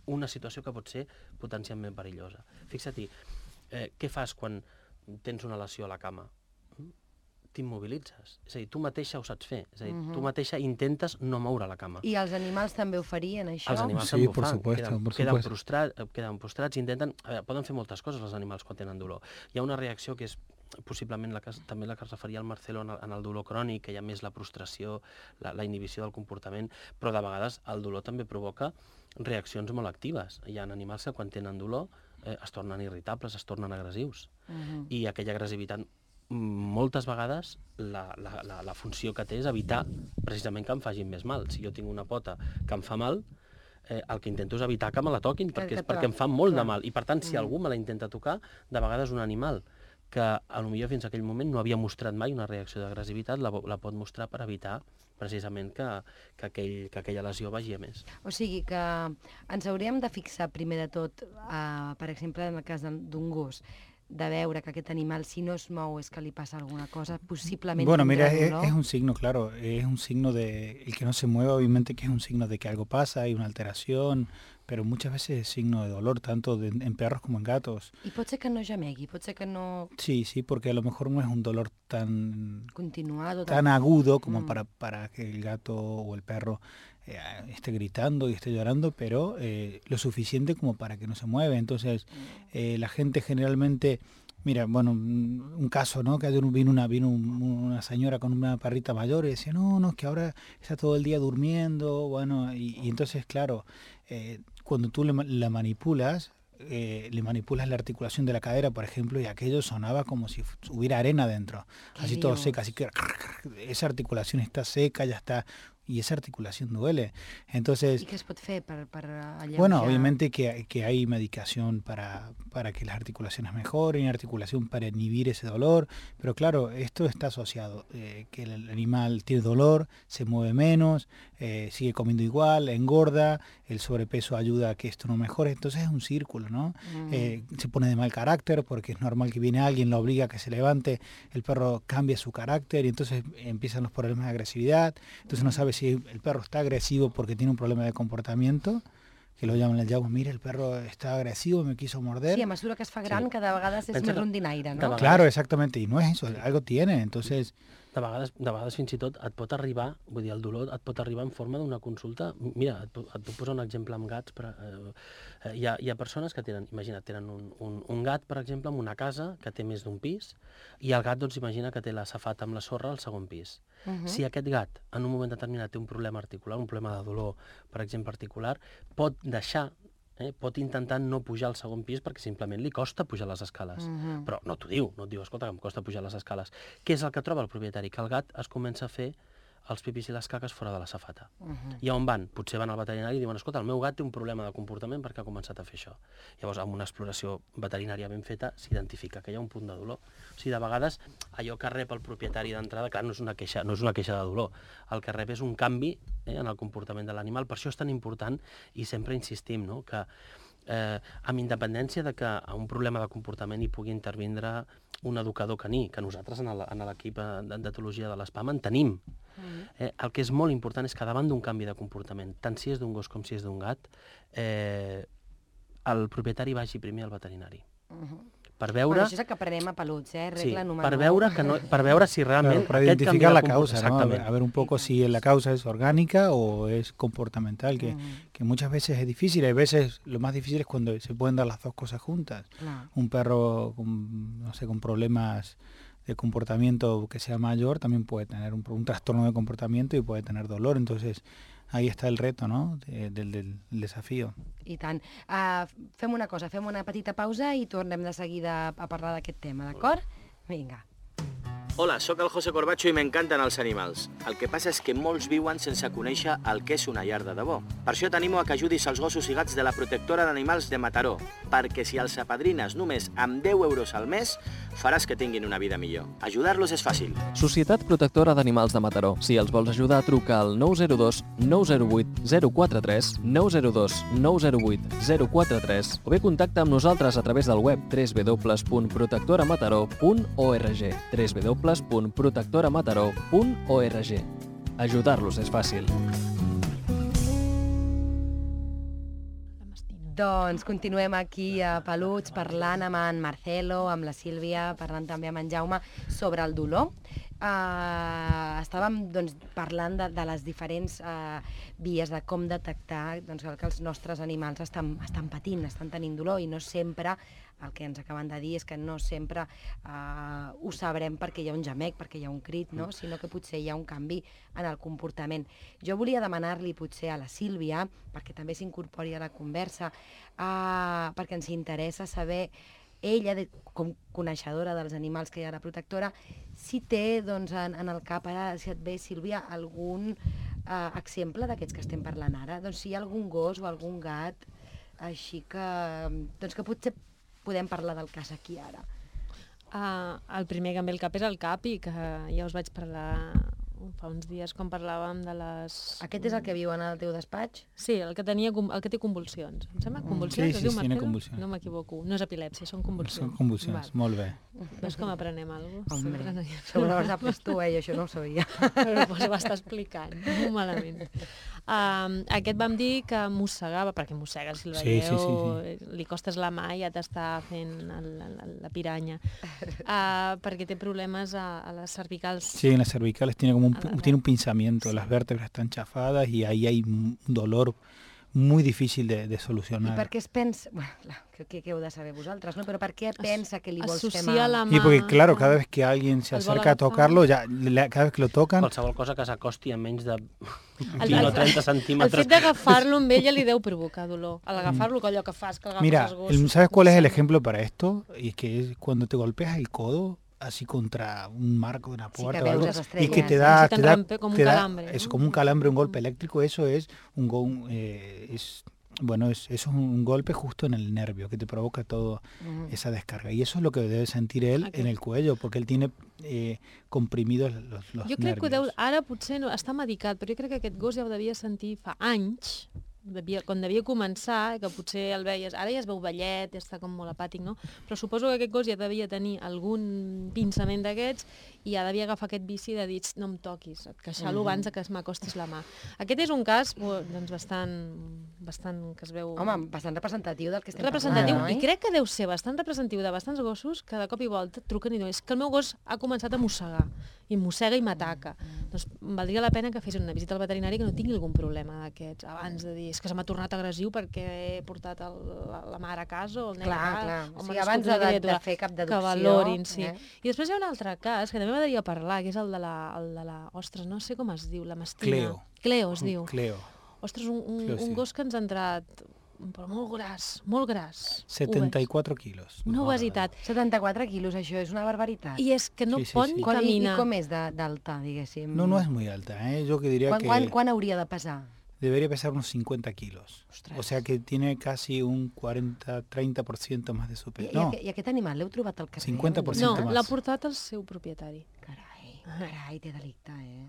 una situació que pot ser potencialment perillosa. Fixa-t'hi, eh, què fas quan tens una lesió a la cama? T'immobilitzes. És a dir, tu mateixa ho saps fer. És a dir, uh-huh. tu mateixa intentes no moure la cama. I els animals també ho farien, això? Els animals sí, també ho por fan. Supuesto, queden, por queden, supuesto. prostrats, queden prostrats, intenten... A veure, poden fer moltes coses els animals quan tenen dolor. Hi ha una reacció que és possiblement la que, també la que es referia al Marcelo en el, en el dolor crònic, que hi ha més la prostració, la, la inhibició del comportament, però de vegades el dolor també provoca reaccions molt actives. Hi ha animals que quan tenen dolor eh, es tornen irritables, es tornen agressius. Uh-huh. I aquella agressivitat moltes vegades la, la, la, la funció que té és evitar precisament que em facin més mal. Si jo tinc una pota que em fa mal, eh, el que intento és evitar que me la toquin, perquè, és perquè em fa molt de mal. I per tant, si algú me la intenta tocar, de vegades un animal que potser fins a aquell moment no havia mostrat mai una reacció d'agressivitat, la, la pot mostrar per evitar precisament que, que, aquell, que aquella lesió vagi a més. O sigui que ens hauríem de fixar primer de tot, uh, per exemple, en el cas d'un gos, de veure que aquest animal, si no es mou, es que li pasa alguna cosa, posiblemente... Bueno, mira, es, es un signo, claro, es un signo de... El que no se mueve, obviamente, que es un signo de que algo pasa, hay una alteración, pero muchas veces es signo de dolor, tanto de, en perros como en gatos. I pot ser que no gemegui, pot ser que no... Sí, sí, porque a lo mejor no es un dolor tan... Continuado. Tan, tan agudo como mm. para, para que el gato o el perro eh, esté gritando y esté llorando, pero eh, lo suficiente como para que no se mueve. Entonces, eh, la gente generalmente... Mira, bueno, un, un caso, ¿no? Que ayer vino una vino un, una señora con una perrita mayor y decía, no, no, es que ahora está todo el día durmiendo, bueno, y, y entonces, claro, eh, cuando tú le, la manipulas, eh, le manipulas la articulación de la cadera, por ejemplo, y aquello sonaba como si hubiera arena dentro, así Dios. Todo seca, así que esa articulación está seca, ya está... Y esa articulación duele. Entonces, ¿y qué se puede hacer para, para alleujar? Bueno, obviamente que, que hay medicación para, para que las articulaciones mejoren, articulación para inhibir ese dolor, pero claro, esto está asociado, eh, que el animal tiene dolor, se mueve menos, eh, sigue comiendo igual, engorda, el sobrepeso ayuda a que esto no mejore, entonces es un círculo, ¿no? Mm. Eh, se pone de mal carácter porque es normal que viene alguien, lo obliga a que se levante, el perro cambia su carácter y entonces empiezan los problemas de agresividad, entonces no sabe si el perro está agresivo porque tiene un problema de comportamiento, que lo llaman el llago, mira, el perro está agresivo, me quiso morder. Sí, a mesura que es fa gran, sí. cada vegada és Pensa més rondinaire, no? Vegades... Claro, exactamente, y no es eso, algo tiene, entonces... De vegades, de vegades fins i tot et pot arribar, vull dir, el dolor et pot arribar en forma d'una consulta. Mira, et, et puc posar un exemple amb gats. Per, eh, hi, ha, hi ha persones que tenen, imagina't, tenen un, un, un gat, per exemple, en una casa que té més d'un pis, i el gat, doncs, imagina que té la safata amb la sorra al segon pis. Uh -huh. Si aquest gat, en un moment determinat, té un problema articular, un problema de dolor, per exemple, articular, pot deixar, Eh, pot intentar no pujar al segon pis perquè simplement li costa pujar les escales. Uh-huh. Però no t'ho diu, no et diu, escolta, que em costa pujar les escales. Què és el que troba el propietari? Que el gat es comença a fer els pipis i les caques fora de la safata. Uh-huh. I on van? Potser van al veterinari i diuen, escolta, el meu gat té un problema de comportament perquè ha començat a fer això. Llavors, amb una exploració veterinària ben feta, s'identifica que hi ha un punt de dolor. O sigui, de vegades, allò que rep el propietari d'entrada, clar, no és una queixa, no és una queixa de dolor. El que rep és un canvi eh, en el comportament de l'animal. Per això és tan important i sempre insistim, no?, que eh, amb independència de que a un problema de comportament hi pugui intervindre un educador caní, que nosaltres en l'equip d'etologia de l'ESPAM en tenim. Eh, el que és molt important és que davant d'un canvi de comportament, tant si és d'un gos com si és d'un gat, eh, el propietari vagi primer al veterinari. Uh-huh. Per veure... Bueno, això és el que aprenem a Peluts, eh? Regla sí, número per veure, que no, per veure si realment... Claro, para identificar la causa, ¿no? A ver, a ver un poco si la causa es orgánica o es comportamental, que, uh-huh. que muchas veces es difícil. Hay veces, lo más difícil es cuando se pueden dar las dos cosas juntas. Uh-huh. Un perro con, no sé, con problemas de comportamiento que sea mayor también puede tener un, un trastorno de comportamiento y puede tener dolor. Entonces, ahí está el reto, ¿no?, de, del, del desafío. I tant. Uh, fem una cosa, fem una petita pausa i tornem de seguida a parlar d'aquest tema, d'acord? Vinga. Hola, sóc el José Corbacho i m'encanten els animals. El que passa és que molts viuen sense conèixer el que és una llar de debò. Per això t'animo a que ajudis els gossos i gats de la protectora d'animals de Mataró, perquè si els apadrines només amb deu euros al mes, faràs que tinguin una vida millor. Ajudar-los és fàcil. Societat Protectora d'Animals de Mataró. Si els vols ajudar, truca al nou zero dos nou zero vuit zero quatre tres, nou zero dos nou zero vuit zero quatre tres o bé contacta amb nosaltres a través del web w w w punt protectoramataró punt org w w w punt protectoramataró punt org. Ajudar-los és fàcil. Doncs continuem aquí a Peluts parlant amb en Marcelo, amb la Sílvia, parlant també amb en Jaume sobre el dolor. Uh, estàvem doncs, parlant de, de les diferents uh, vies de com detectar doncs, que els nostres animals estan, estan patint, estan tenint dolor i no sempre, el que ens acaben de dir és que no sempre uh, ho sabrem perquè hi ha un gemec, perquè hi ha un crit, no? Sinó que potser hi ha un canvi en el comportament. Jo volia demanar-li potser a la Sílvia, perquè també s'incorpori a la conversa, uh, perquè ens interessa saber ella, de, com coneixedora dels animals que hi ha a la protectora, si té doncs, en, en el cap, ara, si et ve, Sílvia, algun eh, exemple d'aquests que estem parlant ara? Doncs si hi ha algun gos o algun gat així que, doncs, que potser podem parlar del cas aquí ara. Uh, el primer que em ve al cap és el Capi, que ja us vaig parlar fa uns dies quan parlàvem de les... Aquest és el que viu en el teu despatx? Sí, el que, tenia, el que té convulsions. Em sembla convulsions? Sí, sí, sí, tiene convulsions. No m'equivoco. No és epilèpsia, són convulsions. Són convulsions, Val. Molt bé. Veus com aprenem alguna cosa? Hombre, no hi... sobre l'hora d'après tu, eh? Jo això no ho sabia. Però pues, ho està explicant, molt malament. Um, aquest vam dir que mossegava, perquè mossega, si el veieu, sí, sí, sí, sí. Li costes la mà i ja t'està fent el, el, la piranya. Uh, perquè té problemes a, a les cervicals. Sí, en las cervicales tiene como un, tiene un pinzamiento, las vértebras están chafadas y ahí hay un dolor muy difícil de, de solucionar. I per què es pensa... Bueno, clar, crec que heu de saber vosaltres, ¿no? Però per què pensa que li vols fer mal? La mà... Sí, porque claro, cada vez que alguien se acerca a tocarlo, ya, cada vez que lo tocan... Qualsevol cosa que s'acosti a menys de vint o trenta centímetres. El fet d'agafar-lo amb ella li deu provocar dolor. Al agafar-lo, allò que fas, que agafes Mira, els gossos... ¿sabes cuál es el ejemplo para esto? Y es que es cuando te golpeas el codo así contra un marco de una puerta sí, o algo, estrellas, y que te da, te da, como te un da calambre, eso, ¿no? como un calambre, un golpe eléctrico, eso es un, un eh, es bueno, es, eso es un golpe justo en el nervio que te provoca toda uh-huh. esa descarga. Y eso es lo que debe sentir él okay. en el cuello, porque él tiene eh, comprimidos los, los jo crec nervios. que deu, ara potser no, està medicat, però jo crec que aquest gos ja ho devia sentir fa anys, devia, quan devia començar, que potser el veies, ara ja es veu vellet, ja està com molt apàtic, no? Però suposo que aquest gos ja devia tenir algun pinçament d'aquests i ja devia agafar aquest vici de dir, no em toquis, et queixalo uh-huh. abans que es m'acostis la mà. Aquest és un cas doncs, bastant, bastant que es veu... Home, bastant representatiu del que estem representatiu, parlant, i crec que deu ser bastant representatiu de bastants gossos que de cop i volta et truquen i diuen, és que el meu gos ha començat a mossegar, i mossega i m'ataca. Mm. Doncs valdria la pena que fes una visita al veterinari que no tingui algun problema d'aquests, abans de dir, és que se m'ha tornat agressiu perquè he portat el, la, la mare a casa o el nen clar, a casa. Clar, o o sigui, abans de, de fer cap deducció. Que valorin, sí. Eh? I després hi ha un altre cas que també m'agradaria parlar, que és el de la, el de la ostres, no sé com es diu, la mastina. Cleo. Cleo es diu. Cleo. Ostres, un, un, Cleo, sí. un gos que ens ha entrat... però molt gras, molt gras. setanta-quatre quilos. Una obesitat. setanta-quatre quilos, això és una barbaritat. I és que no sí, sí, pot sí. ni caminar. I com és d'alta, diguéssim? No, no es muy alta, ¿eh? Yo que diría ¿Cuán, que... Quan, quan hauria de pesar? Debería pesar unos cincuenta kilos. Ostres. O sea que tiene casi un cuarenta a treinta por ciento más de su peso. I, no. i, I aquest animal l'heu trobat al carrer? cincuenta por ciento no, más. l'ha portat el seu propietari. Carai, carai, té delicte, eh?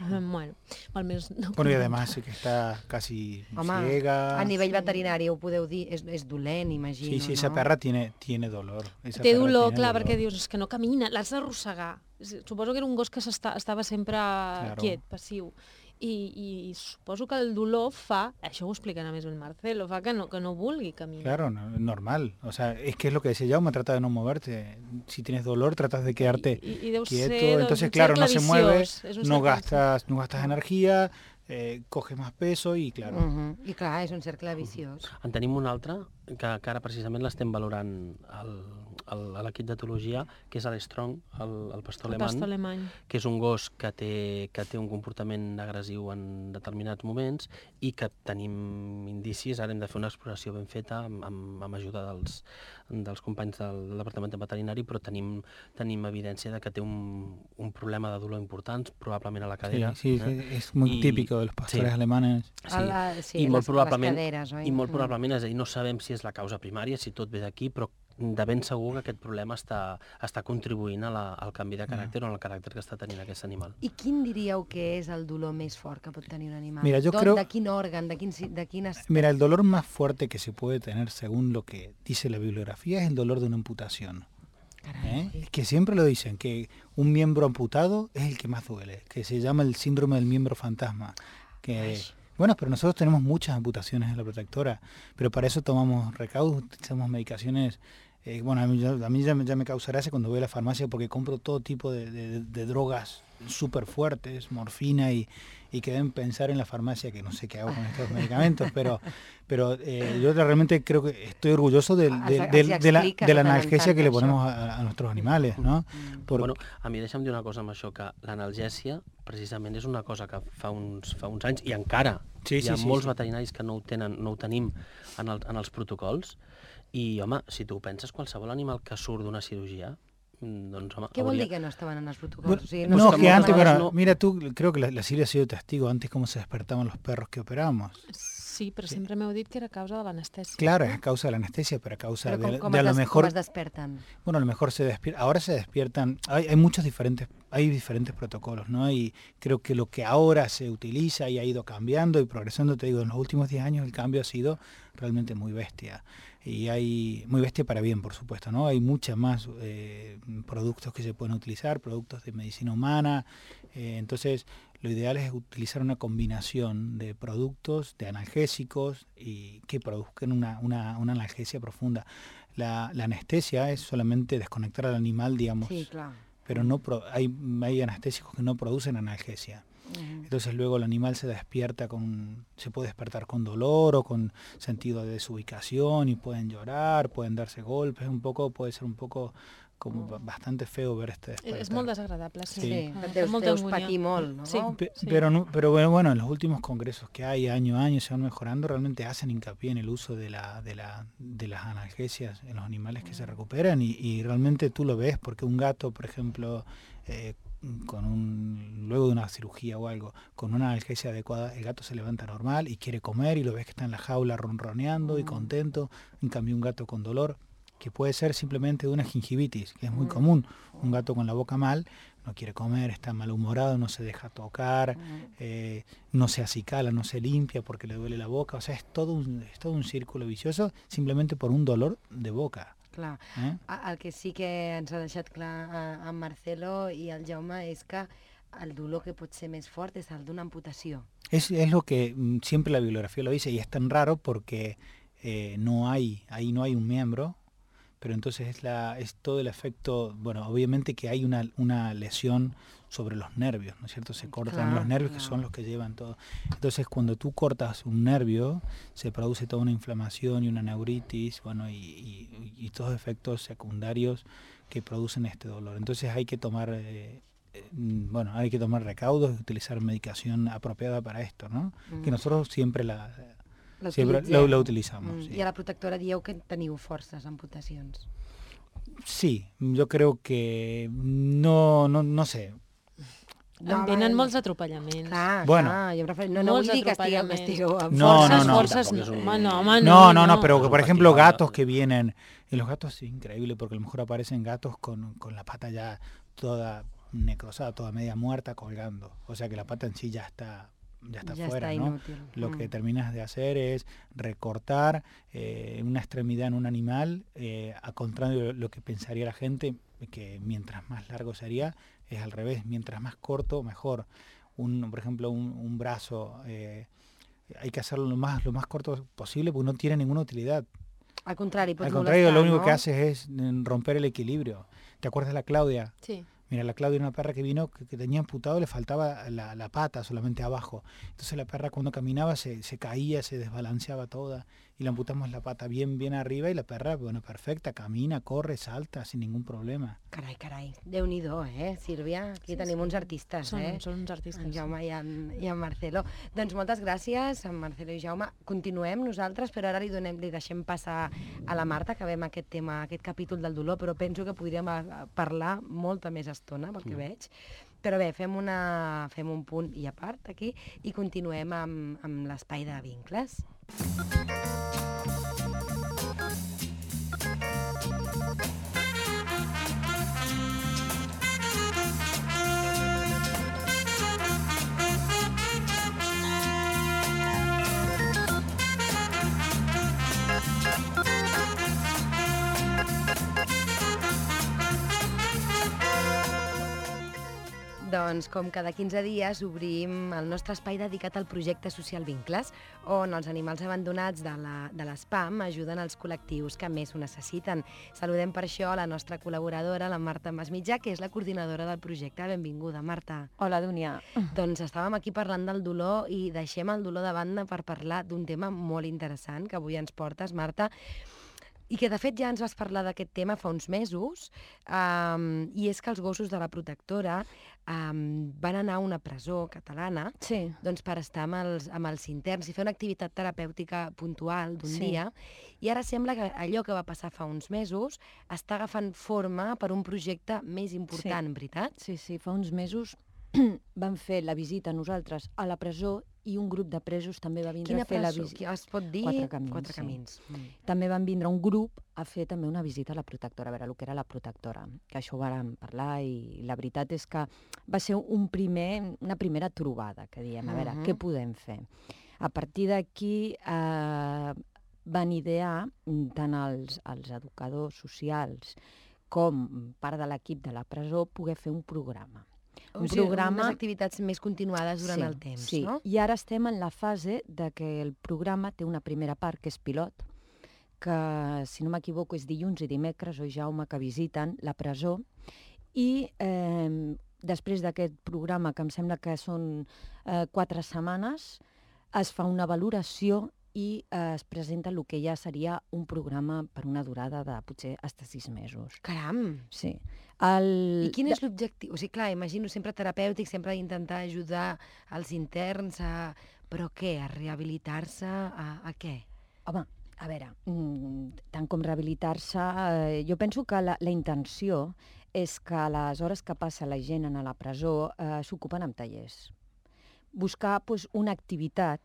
Bueno, almenys no. Bueno, y además que está casi Home, ciega. A nivell veterinari ho podeu dir, és, és dolent, imagino, Sí, sí, no? esa perra tiene, tiene dolor. Esa Té perra dolor, tiene clar, dolor. perquè dius, és que no camina, l'has d'arrossegar. Suposo que era un gos que estava sempre claro. quiet, passiu. I, i suposo que el dolor fa, això ho explicarà més el Marcelo, fa que no, que no vulgui caminar. Claro, no, normal. O sea, es que es lo que decía Jaume, trata de no moverte. Si tienes dolor, tratas de quedarte I, i, i deu quieto. ser, Entonces, un claro, no se mueve, viciós, no gastas, no gastas energía, eh, coges más peso i, claro. Uh -huh. I clar, és un cercle viciós. En tenim un altre, que, que ara precisament l'estem valorant al, al, a l'equip d'etologia, que és l'Strong, el, el pastor el alemany, pastor alemany, que és un gos que té, que té un comportament agressiu en determinats moments i que tenim indicis, ara hem de fer una exploració ben feta amb, amb, amb ajuda dels, dels companys del, del Departament de Veterinari, però tenim, tenim evidència de que té un, un problema de dolor important, probablement a la cadera. Sí, sí, eh? sí, és muy I, típico de los pastores sí. alemanes. Sí, la, sí i molt les, probablement, les caderes, oi? i molt probablement, és a dir, no sabem si és la causa primària, si tot ve d'aquí, però de ben segur que aquest problema està, està contribuint a la, al canvi de caràcter o al caràcter que està tenint aquest animal. I quin diríeu que és el dolor més fort que pot tenir un animal? Mira, yo Don, creo... ¿De quin òrgan? De, quin, de quines... Mira, el dolor más fuerte que se puede tener, según lo que dice la bibliografía, es el dolor de una amputación. ¿Eh? Que siempre lo dicen, que un miembro amputado es el que más duele, que se llama el síndrome del miembro fantasma. Que... Ay. Bueno, pero nosotros tenemos muchas amputaciones en la protectora, pero para eso tomamos recaudos, utilizamos medicaciones. Eh, bueno, a mí, a mí ya, me, ya me causa gracia cuando voy a la farmacia porque compro todo tipo de, de, de drogas súper fuertes, morfina, y, y que deben pensar en la farmacia que no sé qué hago con estos medicamentos, pero pero eh, yo realmente creo que estoy orgulloso de, de, de, de, de, la, de la analgesia que le ponemos a, a nuestros animales, ¿no? Por... Bueno, a mi deixa'm dir una cosa amb això, que l'analgèsia precisament és una cosa que fa uns, fa uns anys, i encara sí, sí, hi ha sí, molts sí. veterinaris que no ho, tenen, no ho tenim en, el, en els protocols, i home, si tu ho penses, qualsevol animal que surt d'una cirurgia, doncs, home, ¿Qué vol hauria... dir que no estaban en los protocolos? Bueno, o sea, no, no, no que antes, bueno, pero, no... mira, tú, creo que la, la Silvia ha sido testigo antes cómo se despertaban los perros que operamos. Sí, però sí. sempre m'heu dit que era a causa de l'anestèsia. Claro, es a causa de la anestesia, pero a causa pero de, ¿cómo, de, de a lo mejor... ¿Cómo es despertan? Bueno, a lo mejor se despiertan, ahora se despiertan, hay, hay muchos diferentes, hay diferentes protocolos, ¿no? Y creo que lo que ahora se utiliza y ha ido cambiando y progresando, te digo, en los últimos diez años el cambio ha sido realmente muy bestia. Y hay, muy bestia para bien, por supuesto, ¿no? Hay muchas más eh, productos que se pueden utilizar, productos de medicina humana, eh, entonces lo ideal es utilizar una combinación de productos, de analgésicos, y que produzcan una, una, una analgesia profunda. La, la anestesia es solamente desconectar al animal, digamos, sí, claro. pero no pro, hay, hay anestésicos que no producen analgesia. Uh-huh. Entonces luego el animal se despierta con, se puede despertar con dolor o con sentido de desubicación y pueden llorar, pueden darse golpes, un poco, puede ser un poco como uh-huh. bastante feo ver este despertar. És molt desagradable, sí. Sí, sí. sí. Deus, deus patir molt, ¿no? Sí. Pe- sí. Pero, no, pero bueno, bueno, en los últimos congresos que hay año a año se van mejorando, realmente hacen hincapié en el uso de la de la de las analgesias en los animales que se recuperan y, y realmente tú lo ves porque un gato, por ejemplo, eh, con un, luego de una cirugía o algo, con una analgesia adecuada, el gato se levanta normal y quiere comer y lo ves que está en la jaula ronroneando y contento. En cambio, un gato con dolor, que puede ser simplemente de una gingivitis, que es muy común, un gato con la boca mal, no quiere comer, está malhumorado, no se deja tocar, eh, no se acicala, no se limpia porque le duele la boca, o sea, es todo un, es todo un círculo vicioso simplemente por un dolor de boca. Clar. Eh? El que sí que ens ha deixat clar en Marcelo i el Jaume és que el dolor que pot ser més fort és el d'una amputació. Es, es lo que mm, siempre la bibliografía lo dice, y es tan raro porque eh, no hay, ahí no hay un miembro, pero entonces es, la, es todo el efecto, bueno, obviamente que hay una, una lesión sobre los nervios, ¿no es cierto? Se cortan Claro, los nervios, claro. que son los que llevan todo. Entonces, cuando tú cortas un nervio, se produce toda una inflamación y una neuritis, bueno, y, y, y todos efectos secundarios que producen este dolor. Entonces hay que tomar, eh, eh, bueno, hay que tomar recaudos y utilizar medicación apropiada para esto, ¿no? Mm. Que nosotros siempre la... Siempre lo, lo utilizamos. Mm. Sí. I a la protectora dieu que teniu forces amputacions. Sí, yo creo que no, no, no sé. No, en tenen molts atropellaments. Clar, bueno, clar, jo em refer... no, no vull dir que estigueu, estigueu amb no, forces, no, no. forces, no, home, no, home, no, no, no, no, pero no. por ejemplo gatos que vienen, y los gatos es increíble porque a lo mejor aparecen gatos con, con la pata ya toda necrosada, toda media muerta colgando, o sea que la pata en sí ya está ya está ya fuera, está ¿no? inútil. Lo Mm. que terminas de hacer es recortar eh, una extremidad en un animal, eh, a contrario de lo que pensaría la gente, que mientras más largo sería, es al revés, mientras más corto, mejor. Un, por ejemplo, un, un brazo, eh, hay que hacerlo lo más, lo más corto posible porque no tiene ninguna utilidad. Al contrari, pot Al contrario, molestar, lo único no? que haces es mm, romper el equilibrio. ¿Te acuerdas de la Claudia? Sí. Mira, la Claudia era una perra que vino que, que tenía amputado, le faltaba la, la pata solamente abajo. Entonces la perra cuando caminaba se, se caía, se desbalanceaba toda. Y le amputamos la pata bien, bien arriba y la perra, bueno, perfecta, camina, corre, salta sin ningún problema. Carai, carai, Déu-n'hi-do, eh, Sílvia? Aquí Sí, tenim sí. uns artistes, Són, eh? són uns artistes. En Jaume i en, i en Marcelo. Doncs moltes gràcies, en Marcelo i Jaume. Continuem nosaltres, però ara li, donem, li deixem passar a la Marta, que veiem aquest tema, aquest capítol del dolor, però penso que podríem a, a parlar molta més estona, pel que Mm. veig. Però bé, fem, una, fem un punt i a part aquí i continuem amb, amb l'espai de vincles. Doncs, com cada quinze dies, obrim el nostre espai dedicat al projecte social Vincles, on els animals abandonats de la, de l'ESPAM ajuden els col·lectius que més ho necessiten. Saludem per això la nostra col·laboradora, la Marta Masmitjà, que és la coordinadora del projecte. Benvinguda, Marta. Hola, Dúnia. Doncs estàvem aquí parlant del dolor i deixem el dolor de banda per parlar d'un tema molt interessant que avui ens portes, Marta, i que de fet ja ens vas parlar d'aquest tema fa uns mesos, um, i és que els gossos de la protectora um, van anar a una presó catalana Sí. doncs, per estar amb els, amb els interns i fer una activitat terapèutica puntual d'un Sí. dia, i ara sembla que allò que va passar fa uns mesos està agafant forma per un projecte més important, Sí. veritat? Sí, sí, fa uns mesos vam fer la visita nosaltres a la presó i un grup de presos també va vindre Quina a fer la presó? visita. Es pot dir? Quatre Camins, Quatre sí. camins. Mm. També van vindre un grup a fer també una visita a la protectora, a veure el que era la protectora, que això ho vàrem parlar i la veritat és que va ser un primer, una primera trobada, que diem, a veure, Mhm. què podem fer? A partir d'aquí eh, van idear mm, tant els, els educadors socials com part de l'equip de la presó poder fer un programa. O Un sigui, programa... unes activitats més continuades durant sí, el temps, sí. no? I ara estem en la fase de que el programa té una primera part que és pilot, que, si no m'equivoco, és dilluns i dimecres, oi, Jaume, que visiten la presó, i eh, després d'aquest programa, que em sembla que són eh, quatre setmanes, es fa una valoració i eh, es presenta el que ja seria un programa per una durada de potser fins sis mesos. Caram! Sí. El... I quin és l'objectiu? O sigui, clar, imagino sempre terapèutic, sempre d'intentar ajudar els interns a... Però què? A rehabilitar-se? A, a què? Home, a veure, mm, tant com rehabilitar-se, eh, jo penso que la, la intenció és que a les hores que passa la gent a la presó eh, s'ocupen amb tallers. Buscar pues, una activitat.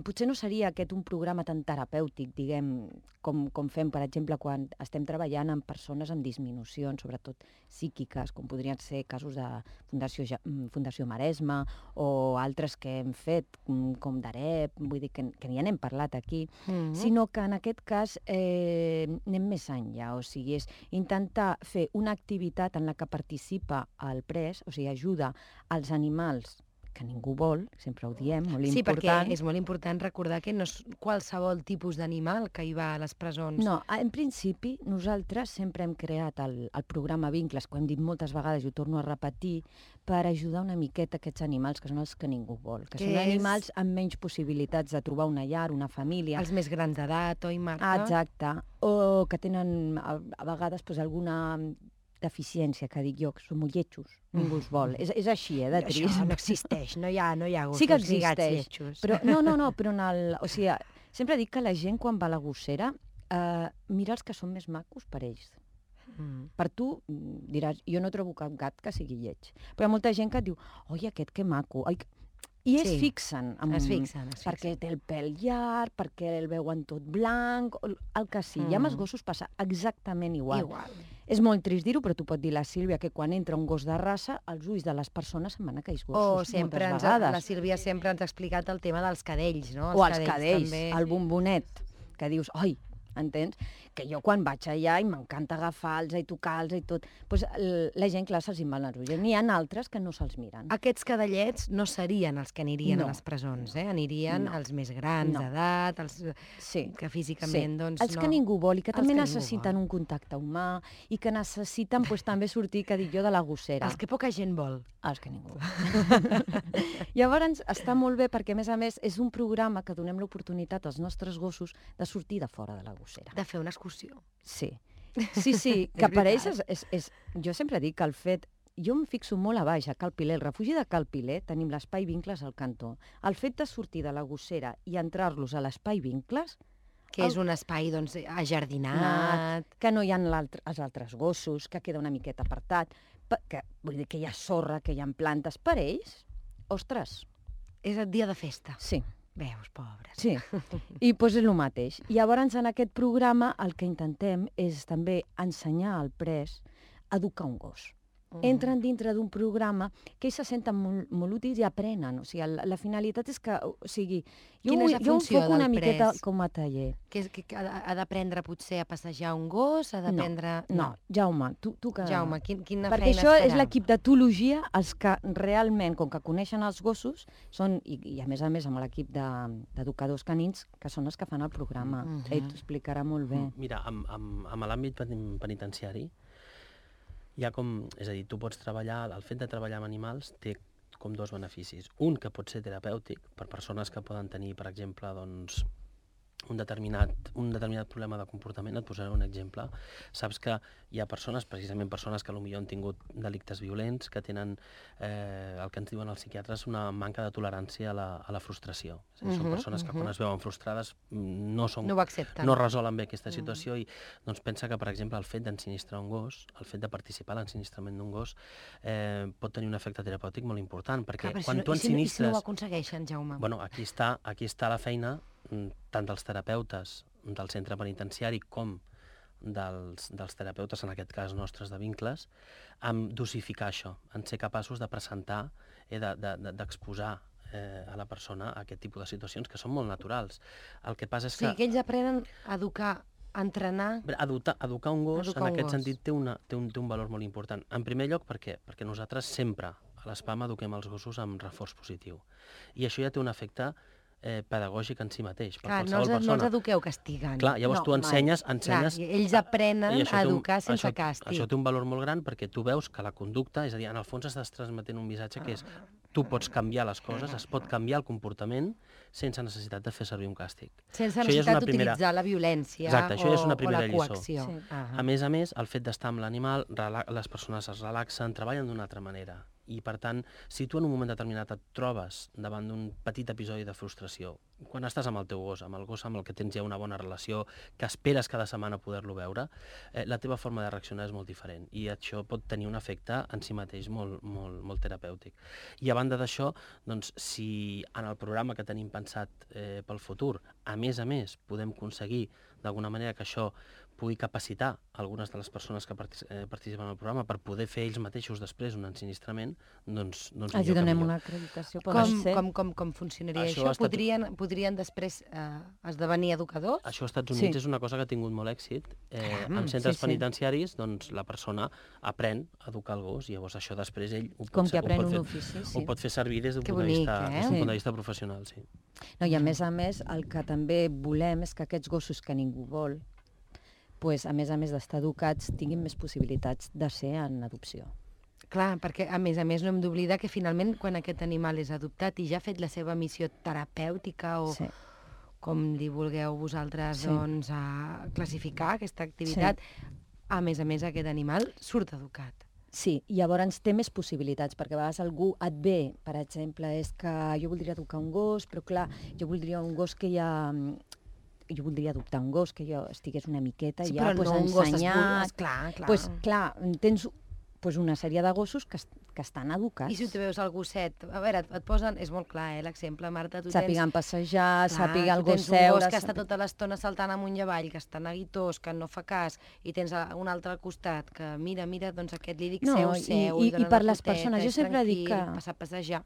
Potser no seria aquest un programa tan terapèutic, diguem, com, com fem, per exemple, quan estem treballant amb persones amb disminucions, sobretot psíquiques, com podrien ser casos de Fundació, Fundació Maresme o altres que hem fet, com d'Arep, vull dir que, que ja n'hem parlat aquí, mm-hmm. sinó que en aquest cas eh, anem més enllà, o sigui, és intentar fer una activitat en la que participa el pres, o sigui, ajuda als animals que ningú vol, sempre ho diem, molt sí, important. Sí, perquè és molt important recordar que no és qualsevol tipus d'animal que hi va a les presons. No, en principi nosaltres sempre hem creat el, el programa Vincles, que ho hem dit moltes vegades i ho torno a repetir, per ajudar una miqueta aquests animals que són els que ningú vol, que, que són és... animals amb menys possibilitats de trobar una llar, una família. Els més grans d'edat, oi, Marta? Ah, exacte, o que tenen a, a vegades pues, alguna deficiència, que dic jo, que són molt lletjos, ningú els vol. És, és així, eh, de trist. Això no existeix, no hi ha, no hi ha gossos sí que existeix, lletjos. Però, no, no, no, però en el... O sigui, sempre dic que la gent, quan va a la gossera, eh, mira els que són més macos per ells. Mm. Per tu, diràs, jo no trobo cap gat que sigui lleig. Però hi ha molta gent que et diu, oi, aquest que maco, oi, i es sí, fixen, amb, es fixen, es fixen. Perquè té el pèl llarg, perquè el veuen tot blanc, el que sí. Mm. I amb els gossos passa exactament igual. Igual. És molt trist dir-ho, però tu pot dir la Sílvia que quan entra un gos de raça, els ulls de les persones se'n van a aquells gossos, o sempre moltes ens, vegades. La Sílvia sempre ens ha explicat el tema dels cadells, no? Els o els cadells, cadells també. El bombonet, que dius, oi, entens? Que jo quan vaig allà i m'encanta agafar-los i tocar-los i tot, doncs la gent, clar, se'ls van els ulls. N'hi ha altres que no se'ls miren. Aquests cadellets no serien els que anirien no. a les presons, eh? Anirien no. els més grans no. d'edat, els sí. que físicament, sí. doncs, els no... que ningú vol i que els també que necessiten un contacte humà i que necessiten pues, també sortir, que dic jo, de la gossera. Els que poca gent vol. Els que ningú vol. Llavors està molt bé perquè, a més a més, és un programa que donem l'oportunitat als nostres gossos de sortir de fora de la gossera. De fer una excursió. Sí, sí, sí, que per ells és, és, és... Jo sempre dic que el fet... Jo em fixo molt a baix, a Cal Piler. El refugi de Cal Piler tenim l'espai Vincles al cantó. El fet de sortir de la gossera i entrar-los a l'espai Vincles... Que és el... un espai, doncs, ajardinat... Que no hi ha els altres gossos, que queda una miqueta apartat, que, vull dir que hi ha sorra, que hi ha plantes. Per ells, ostres... És el dia de festa. Sí. Veus, pobres. Sí, i doncs és el mateix. I llavors en aquest programa el que intentem és també ensenyar al pres a educar un gos. Mm. Entren dintre d'un programa que ells se senten molt, molt útils i aprenen. O sigui, la, la finalitat és que, o sigui, jo, Quina és la jo funció enfoco una del miqueta pres? com a taller. Que, és, que ha d'aprendre potser a passejar un gos? Ha d'aprendre... No, no, Jaume, tu, tu que... Jaume, quin, quina Perquè feina això es farà? és l'equip d'etologia, els que realment, com que coneixen els gossos, són, i, i a més a més amb l'equip d'educadors de, canins, que són els que fan el programa. Mm -hmm. Ell t'ho explicarà molt bé. Mira, amb, amb, amb l'àmbit penitenciari, hi ha com... És a dir, tu pots treballar... El fet de treballar amb animals té com dos beneficis. Un, que pot ser terapèutic, per persones que poden tenir, per exemple, doncs, un determinat, un determinat problema de comportament. Et posaré un exemple. Saps que hi ha persones, precisament persones que potser han tingut delictes violents, que tenen eh, el que ens diuen els psiquiatres una manca de tolerància a la, a la frustració. És a dir, uh-huh, són persones uh-huh. que quan es veuen frustrades no, són, no, no resolen bé aquesta situació uh-huh. i doncs, pensa que, per exemple, el fet d'ensinistrar un gos, el fet de participar en l'ensinistrament d'un gos, eh, pot tenir un efecte terapèutic molt important, perquè Clar, quan si no, tu ensinistres... I si no, i si no ho aconsegueixen, Jaume? Bueno, aquí està, aquí està la feina tant dels terapeutes del centre penitenciari com dels, dels terapeutes, en aquest cas nostres de vincles, amb dosificar això, en ser capaços de presentar, eh, d'exposar de, de, eh, a la persona aquest tipus de situacions que són molt naturals. El que passa és que... Sí, que ells aprenen a educar, a entrenar... Educar, educar un gos, educar en un aquest gos. sentit, té, una, té, un, té un valor molt important. En primer lloc, per què? Perquè nosaltres sempre a l'ESPAM eduquem els gossos amb reforç positiu. I això ja té un efecte eh, pedagògic en si mateix, per Clar, qualsevol no els, persona. no els eduqueu castigant. Clar, llavors no, tu ensenyes... ensenyes Clar, ells aprenen a educar un, sense això, càstig. Això té un valor molt gran perquè tu veus que la conducta, és a dir, en el fons estàs transmetent un missatge que és tu pots canviar les coses, es pot canviar el comportament sense necessitat de fer servir un càstig. Sense necessitat d'utilitzar primera... la violència Exacte, això o, ja és una o primera la coacció. Sí. Uh -huh. A més a més, el fet d'estar amb l'animal, les persones es relaxen, treballen d'una altra manera. I, per tant, si tu en un moment determinat et trobes davant d'un petit episodi de frustració, quan estàs amb el teu gos, amb el gos amb el que tens ja una bona relació, que esperes cada setmana poder-lo veure, eh, la teva forma de reaccionar és molt diferent i això pot tenir un efecte en si mateix molt, molt, molt terapèutic. I a banda d'això, doncs, si en el programa que tenim pensat eh, pel futur, a més a més, podem aconseguir d'alguna manera que això pugui capacitar algunes de les persones que partic eh, participen al programa per poder fer ells mateixos després un ensinistrament, doncs, doncs Els millor donem que millor. una acreditació. Com, com, com, com funcionaria Això això? ha estat- Podrien, podrien després eh, esdevenir educadors? Això als Estats Units Sí. és una cosa que ha tingut molt èxit. Eh, Caram, en centres sí, sí. penitenciaris, doncs, la persona aprèn a educar el gos i llavors això després ell ho pot, Com que ser- ho aprèn pot un fer, ofici, ho sí. pot fer servir des d'un Que punt, de bonic, vista, eh? des d'un Sí. punt de vista professional. Sí. No, I a més a més, el que també volem és que aquests gossos que ningú vol, pues, a més a més d'estar educats, tinguin més possibilitats de ser en adopció. Clar, perquè a més a més no hem d'oblidar que finalment quan aquest animal és adoptat i ja ha fet la seva missió terapèutica o Sí. com li vulgueu vosaltres Sí. doncs, a classificar aquesta activitat, a més a més aquest animal surt educat. Sí, i llavors té més possibilitats, perquè a vegades algú et ve, per exemple, és que jo voldria educar un gos, però clar, jo voldria un gos que ja... Jo voldria adoptar un gos que jo estigués una miqueta Sí, ja però pues, no un gos ensenyat. espul- clar, clar. Pues, clar, tens pues, una sèrie de gossos que, es- que estan educats. I si tu veus el gosset, a veure, et, et posen, és molt clar, eh, l'exemple, Marta, tu Sàpiguen tens... passejar, sàpiga el tu gos tens un seure... gos que està sàpiga- tota l'estona saltant amunt i avall, que està neguitós, que no fa cas, i tens a- un altre al costat, que mira, mira, doncs aquest li dic No, seu, i- seu, i- li dona i per una les poteta, persones, jo és sempre dic tranquil, que- passa a passejar.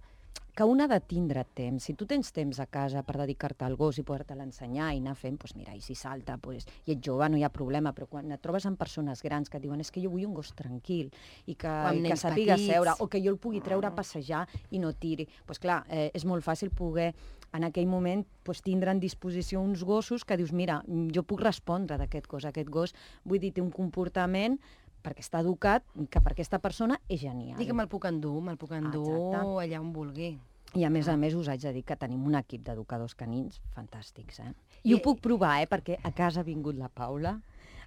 que un ha de tindre temps. Si tu tens temps a casa per dedicar-te al gos i poder-te l'ensenyar i anar fent, doncs mira, i si salta, doncs, i ets jove, no hi ha problema, però quan et trobes amb persones grans que et diuen és que jo vull un gos tranquil i que, amb i que nens sàpiga petits. seure, o que jo el pugui treure a passejar i no tiri, doncs clar, eh, és molt fàcil poder en aquell moment doncs, tindre en disposició uns gossos que dius, mira, jo puc respondre d'aquest gos, aquest gos, vull dir, té un comportament perquè està educat, que per aquesta persona és genial. Dic que me'l puc endur, me'l puc endur Exacte. allà on vulgui. I a més a més us haig de dir que tenim un equip d'educadors canins fantàstics, eh? I, I- ho puc provar, eh? Perquè a casa ha vingut la Paula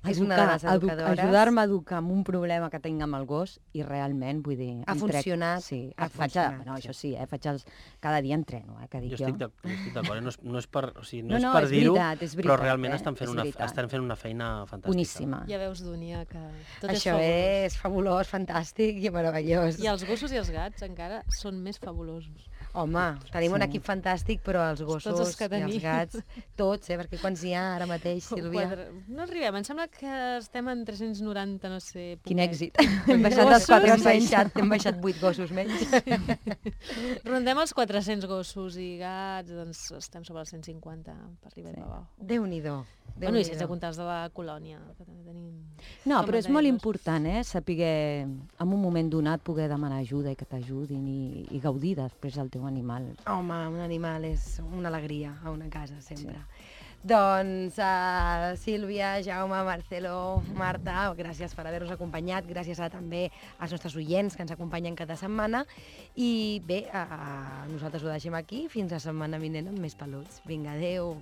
a És una de les edu- educadores. ajudar-me a educar amb un problema que tinc amb el gos i realment, vull dir... Ha em funcionat, Sí, ha ha faig, funcionat, no, sí. això sí, eh? Faig els, cada dia entreno, eh? Que dic Jo jo. estic d'ac- jo estic d'acord, eh? no, és, no és per, o sigui, no No, és no, per és dir-ho, veritat, és però veritat, realment eh? estan, fent És una, veritat. estan fent una feina fantàstica. Boníssima. Ja veus, Dúnia, que tot Això és fabulós. és fabulós, fantàstic i meravellós. I els gossos i els gats encara són més fabulosos. Home, tenim un Sí. equip fantàstic, però els gossos els que i els tenim. gats, tots, eh? Perquè quants hi ha ara mateix, Sílvia? Quatre... No arribem, em sembla que estem en tres-cents noranta, no sé... Quin poquet. èxit. Hem baixat dels Gossos, hem quatre-cents. baixat, hem baixat vuit gossos menys. Rondem els quatre-cents gossos i gats, doncs estem sobre els cent cinquanta per arribar Sí. sí. abajo. Déu-n'hi-do. Bueno, i sense comptar els de la colònia, que també tenim... No, Com però és mantenir molt gossos. important, eh? Saber en un moment donat poder demanar ajuda i que t'ajudin i, i gaudir després del teu animal. Home, un animal és una alegria a una casa, sempre. Sí. Doncs, uh, Sílvia, Jaume, Marcelo, Marta, gràcies per haver-nos acompanyat, gràcies a, també als nostres oients que ens acompanyen cada setmana. I bé, uh, nosaltres ho deixem aquí, fins la setmana vinent amb més peluts. Vinga, adeu.